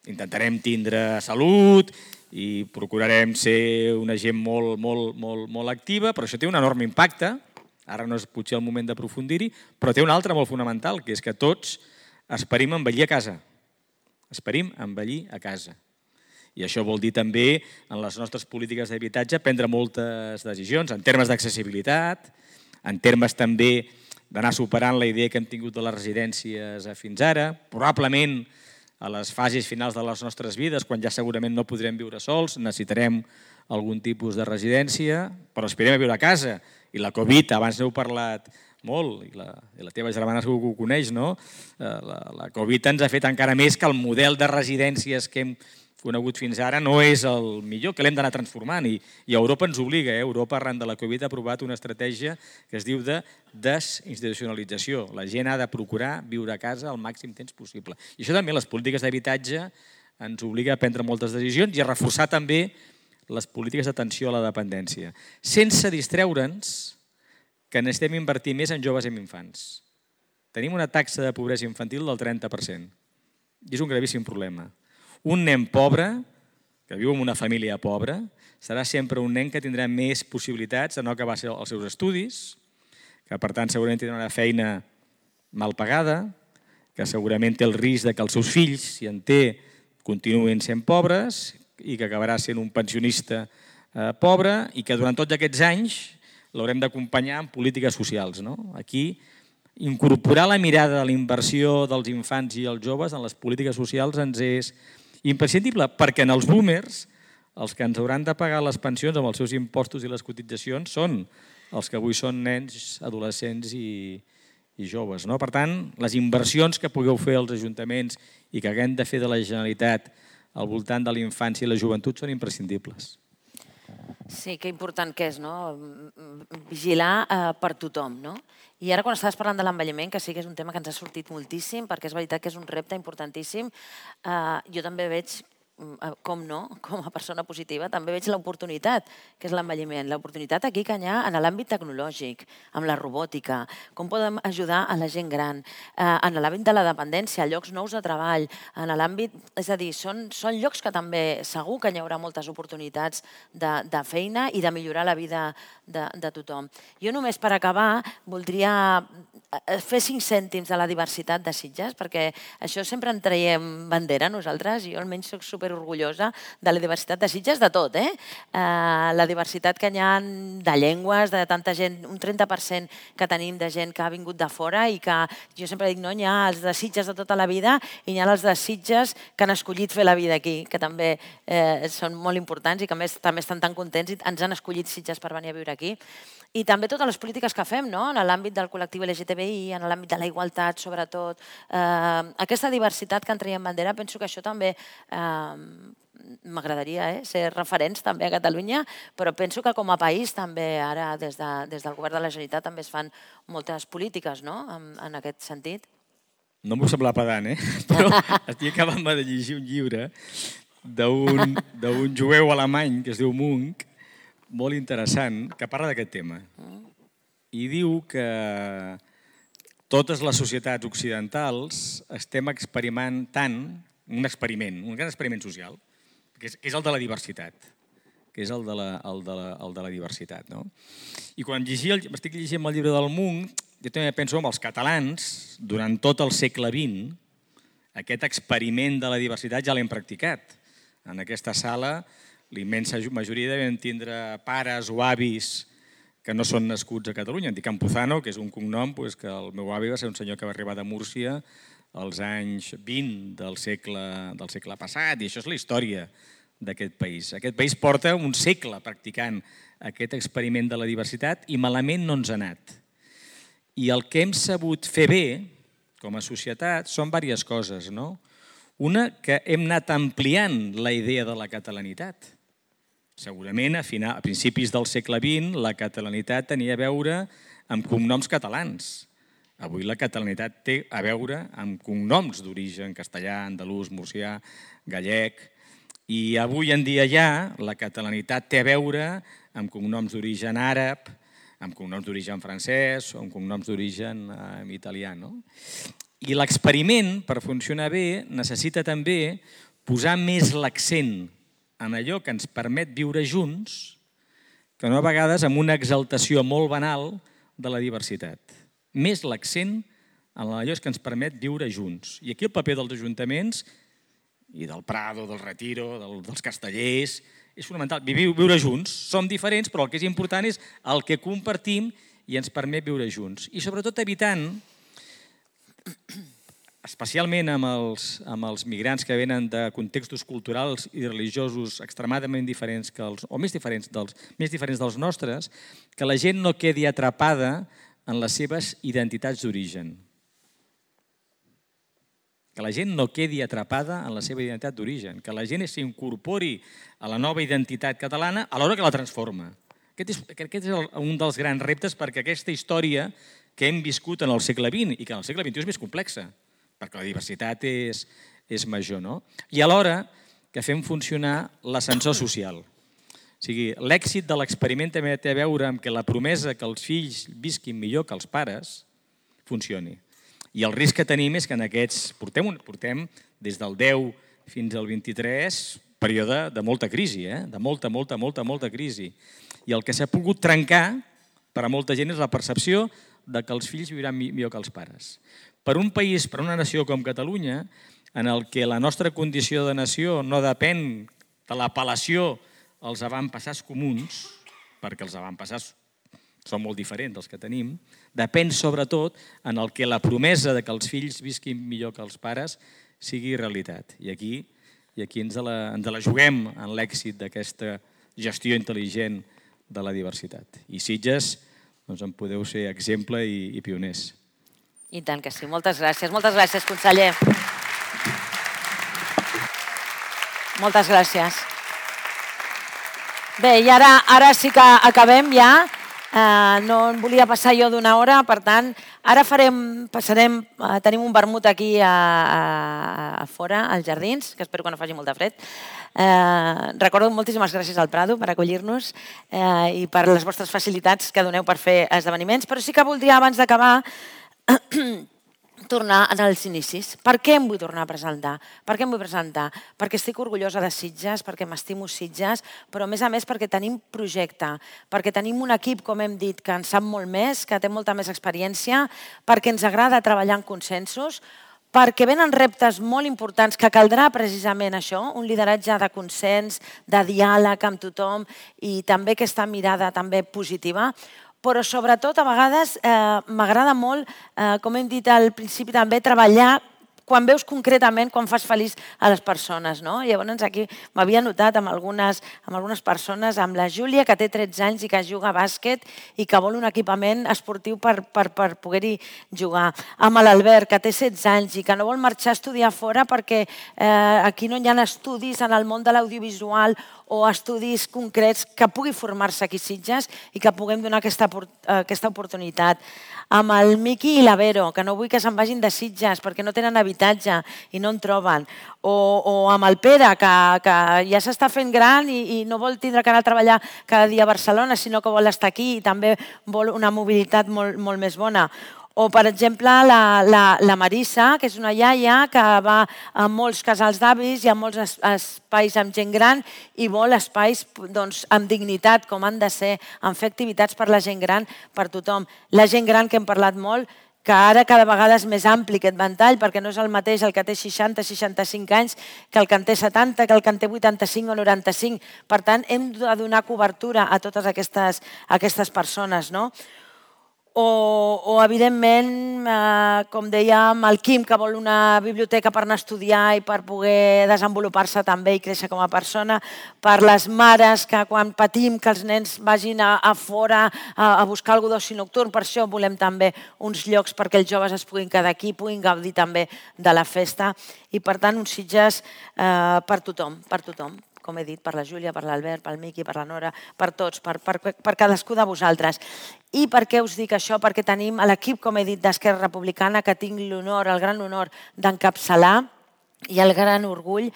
S6: intentarem tindre salut i procurarem ser una gent molt activa, però això té un enorme impacte. Ara no és potser el moment d'aprofundir-hi, però té un altre molt fonamental, que és que tots esperim envellir a casa. Esperim envellir a casa. I això vol dir també, en les nostres polítiques d'habitatge, prendre moltes decisions en termes d'accessibilitat, en termes també d'anar superant la idea que hem tingut de les residències fins ara, probablement a les fases finals de les nostres vides, quan ja segurament no podrem viure sols, necessitarem algun tipus de residència, però aspirem a viure a casa. I la Covid, abans n'heu parlat molt, i la teva germana segur que ho coneix, no? La Covid ens ha fet encara més que el model de residències que hem conegut fins ara no és el millor, que l'hem d'anar transformant. I Europa ens obliga. Europa, arran de la Covid, ha aprovat una estratègia que es diu de desinstitucionalització. La gent ha de procurar viure a casa el màxim temps possible. I això també, les polítiques d'habitatge, ens obliga a prendre moltes decisions i a reforçar també les polítiques d'atenció a la dependència, sense distreure'ns que necessitem invertir més en joves i en infants. Tenim una taxa de pobresa infantil del 30%. I és un gravíssim problema. Un nen pobre, que viu en una família pobra, serà sempre un nen que tindrà més possibilitats de no acabar els seus estudis, que per tant segurament tindrà una feina mal pagada, que segurament té el risc que els seus fills, si en té, continuïn sent pobres i que acabarà sent un pensionista pobre i que durant tots aquests anys l'haurem d'acompanyar en polítiques socials. Aquí, incorporar la mirada de la inversió dels infants i els joves en les polítiques socials ens és imprescindible, perquè en els boomers els que ens hauran de pagar les pensions amb els seus impostos i les cotitzacions són els que avui són nens, adolescents i joves. Per tant, les inversions que pugueu fer als ajuntaments i que haguem de fer de la Generalitat al voltant de la infància i la joventut són imprescindibles.
S3: Sí, que important que és, vigilar per tothom. I ara quan estaves parlant de l'envelliment, que sí que és un tema que ens ha sortit moltíssim, perquè és veritat que és un repte importantíssim, jo també veig com no, com a persona positiva, també veig l'oportunitat, que és l'envelliment. L'oportunitat aquí que hi ha en l'àmbit tecnològic, amb la robòtica, com podem ajudar a la gent gran, en l'àmbit de la dependència, llocs nous de treball, en l'àmbit... És a dir, són llocs que també segur que hi haurà moltes oportunitats de feina i de millorar la vida de tothom. Jo només per acabar voldria fer 5 cèntims de la diversitat de Sitges, perquè això sempre en traiem bandera nosaltres, jo almenys soc superorgullosa de la diversitat de Sitges, de tot, la diversitat que hi ha de llengües, de tanta gent, un 30% que tenim de gent que ha vingut de fora i que jo sempre dic, no, hi ha els de Sitges de tota la vida i hi ha els de Sitges que han escollit fer la vida aquí, que també són molt importants i que a més també estan tan contents i ens han escollit Sitges per venir a viure aquí. I també totes les polítiques que fem, no? En l'àmbit del col·lectiu LGTBI, en l'àmbit de la igualtat, sobretot. Aquesta diversitat que en traiem bandera, penso que això també m'agradaria ser referents també a Catalunya, però penso que com a país també ara des del govern de la Generalitat també es fan moltes polítiques en aquest sentit.
S6: No m'ho sembla pedant, però estic acabant de llegir un llibre d'un jueu alemany que es diu Munk, molt interessant, que parla d'aquest tema. I diu que totes les societats occidentals estem experimentant un gran experiment social, que és el de la diversitat. Que és el de la diversitat. I quan estic llegint el llibre del Munk, jo també penso en els catalans, durant tot el segle XX, aquest experiment de la diversitat ja l'hem practicat. En aquesta sala, la immensa majoria devem tindre pares o avis que no són nascuts a Catalunya. Em dic Campuzano, que és un cognom que el meu avi va ser un senyor que va arribar de Múrcia als anys 20 del segle passat, i això és la història d'aquest país. Aquest país porta un segle practicant aquest experiment de la diversitat i malament no ens ha anat. I el que hem sabut fer bé, com a societat, són diverses coses, no? Una, que hem anat ampliant la idea de la catalanitat. Segurament, a principis del segle XX, la catalanitat tenia a veure amb cognoms catalans. Avui la catalanitat té a veure amb cognoms d'origen castellà, andalús, murcià, gallec. I avui en dia ja la catalanitat té a veure amb cognoms d'origen àrab, amb cognoms d'origen francès o amb cognoms d'origen italià. I l'experiment, per funcionar bé, necessita també posar més l'accent en allò que ens permet viure junts, que no a vegades amb una exaltació molt banal de la diversitat. Més l'accent en allò que ens permet viure junts. I aquí el paper dels ajuntaments i del Prado, del Retiro, dels castellers, és fonamental. Viure junts. Som diferents, però el que és important és el que compartim i ens permet viure junts. I sobretot evitant, especialment amb els migrants que venen de contextos culturals i religiosos extremadament diferents o més diferents dels nostres, que la gent no quedi atrapada en les seves identitats d'origen. Que la gent no quedi atrapada en la seva identitat d'origen, que la gent s'incorpori a la nova identitat catalana a l'hora que la transforma. Aquest és un dels grans reptes, perquè aquesta història que hem viscut en el segle XX i que en el segle XXI és més complexa, perquè la diversitat és major, no? I alhora que fem funcionar l'ascensor social. O sigui, l'èxit de l'experiment també té a veure amb que la promesa que els fills visquin millor que els pares funcioni. I el risc que tenim és que en aquests portem des del 10 fins al 23 període de molta crisi, de molta crisi. I el que s'ha pogut trencar per a molta gent és la percepció de que els fills viuran millor que els pares. Per un país, per una nació com Catalunya, en el que la nostra condició de nació no depèn de l'apel·lació als avantpassats comuns, perquè els avantpassats són molt diferents dels que tenim, depèn sobretot en el que la promesa de que els fills visquin millor que els pares sigui realitat. I aquí ens la juguem en l'èxit d'aquesta gestió intel·ligent de la diversitat. I Sitges, doncs en podeu ser exemple i pioners.
S3: I tant que sí. Moltes gràcies. Moltes gràcies, conseller. Moltes gràcies. Bé, i ara sí que acabem ja. No en volia passar jo d'una hora, per tant, ara tenim un vermut aquí a fora, als jardins, que espero que no faci molt de fred. Recordo moltíssimes gràcies al Prado per acollir-nos i per les vostres facilitats que doneu per fer esdeveniments, però sí que voldria, abans d'acabar, tornar als inicis. Per què em vull tornar a presentar? Per què em vull presentar? Perquè estic orgullosa de Sitges, perquè m'estimo Sitges, però a més perquè tenim projecte, perquè tenim un equip, com hem dit, que en sap molt més, que té molta més experiència, perquè ens agrada treballar en consensos, perquè venen reptes molt importants que caldrà precisament això, un lideratge de consens, de diàleg amb tothom i també aquesta mirada també positiva, però sobretot a vegades m'agrada molt, com hem dit al principi també, treballar quan veus concretament, quan fas feliç a les persones. Llavors aquí m'havia notat amb algunes persones, amb la Júlia, que té 13 anys i que juga a bàsquet i que vol un equipament esportiu per poder-hi jugar. Amb l'Albert, que té 16 anys i que no vol marxar a estudiar fora perquè aquí no hi ha estudis en el món de l'audiovisual o estudis concrets que pugui formar-se aquí a Sitges i que puguem donar aquesta oportunitat. Amb el Miqui i la Vero, que no vull que se'n vagin de Sitges perquè no tenen habitatge i no en troben. O amb el Pere, que ja s'està fent gran i no vol tindre que anar a treballar cada dia a Barcelona, sinó que vol estar aquí i també vol una mobilitat molt més bona. O, per exemple, la Marissa, que és una iaia que va a molts casals d'avis i a molts espais amb gent gran i vol espais amb dignitat, com han de ser, en fer activitats per la gent gran, per tothom. La gent gran, que hem parlat molt, que ara cada vegada és més ampli aquest ventall, perquè no és el mateix el que té 60-65 anys que el que en té 70, que el que en té 85 o 95. Per tant, hem de donar cobertura a totes aquestes persones, no? O evidentment, com dèiem, el Quim, que vol una biblioteca per anar a estudiar i per poder desenvolupar-se també i créixer com a persona, per les mares que quan patim que els nens vagin a fora a buscar algú d'oci nocturn, per això volem també uns llocs perquè els joves es puguin quedar aquí, puguin gaudir també de la festa i per tant uns Sitges per tothom, com he dit, per la Júlia, per l'Albert, pel Miqui, per la Nora, per tots, per cadascú de vosaltres. I per què us dic això? Perquè tenim l'equip, com he dit, d'Esquerra Republicana, que tinc l'honor, el gran honor d'encapçalar i el gran orgull,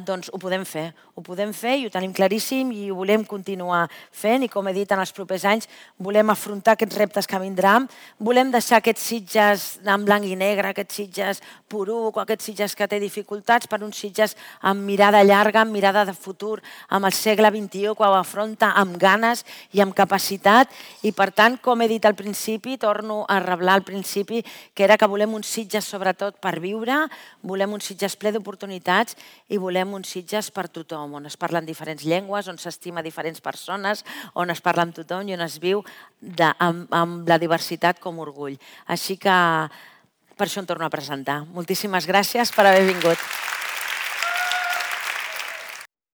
S3: doncs ho podem fer. Ho podem fer i ho tenim claríssim i ho volem continuar fent i, com he dit, en els propers anys volem afrontar aquests reptes que vindran, volem deixar aquests Sitges en blanc i negre, aquests Sitges poruc o aquests Sitges que té dificultats per uns Sitges amb mirada llarga, amb mirada de futur, amb el segle XXI, que ho afronta amb ganes i amb capacitat i, per tant, com he dit al principi, torno a reblar al principi, que era que volem uns Sitges sobretot per viure, volem uns Sitges ple d'oportunitats i volem uns Sitges per tothom, on es parlen diferents llengües, on s'estima diferents persones, on es parla amb tothom i on es viu amb la diversitat com orgull. Així que per això em torno a presentar. Moltíssimes gràcies per haver vingut.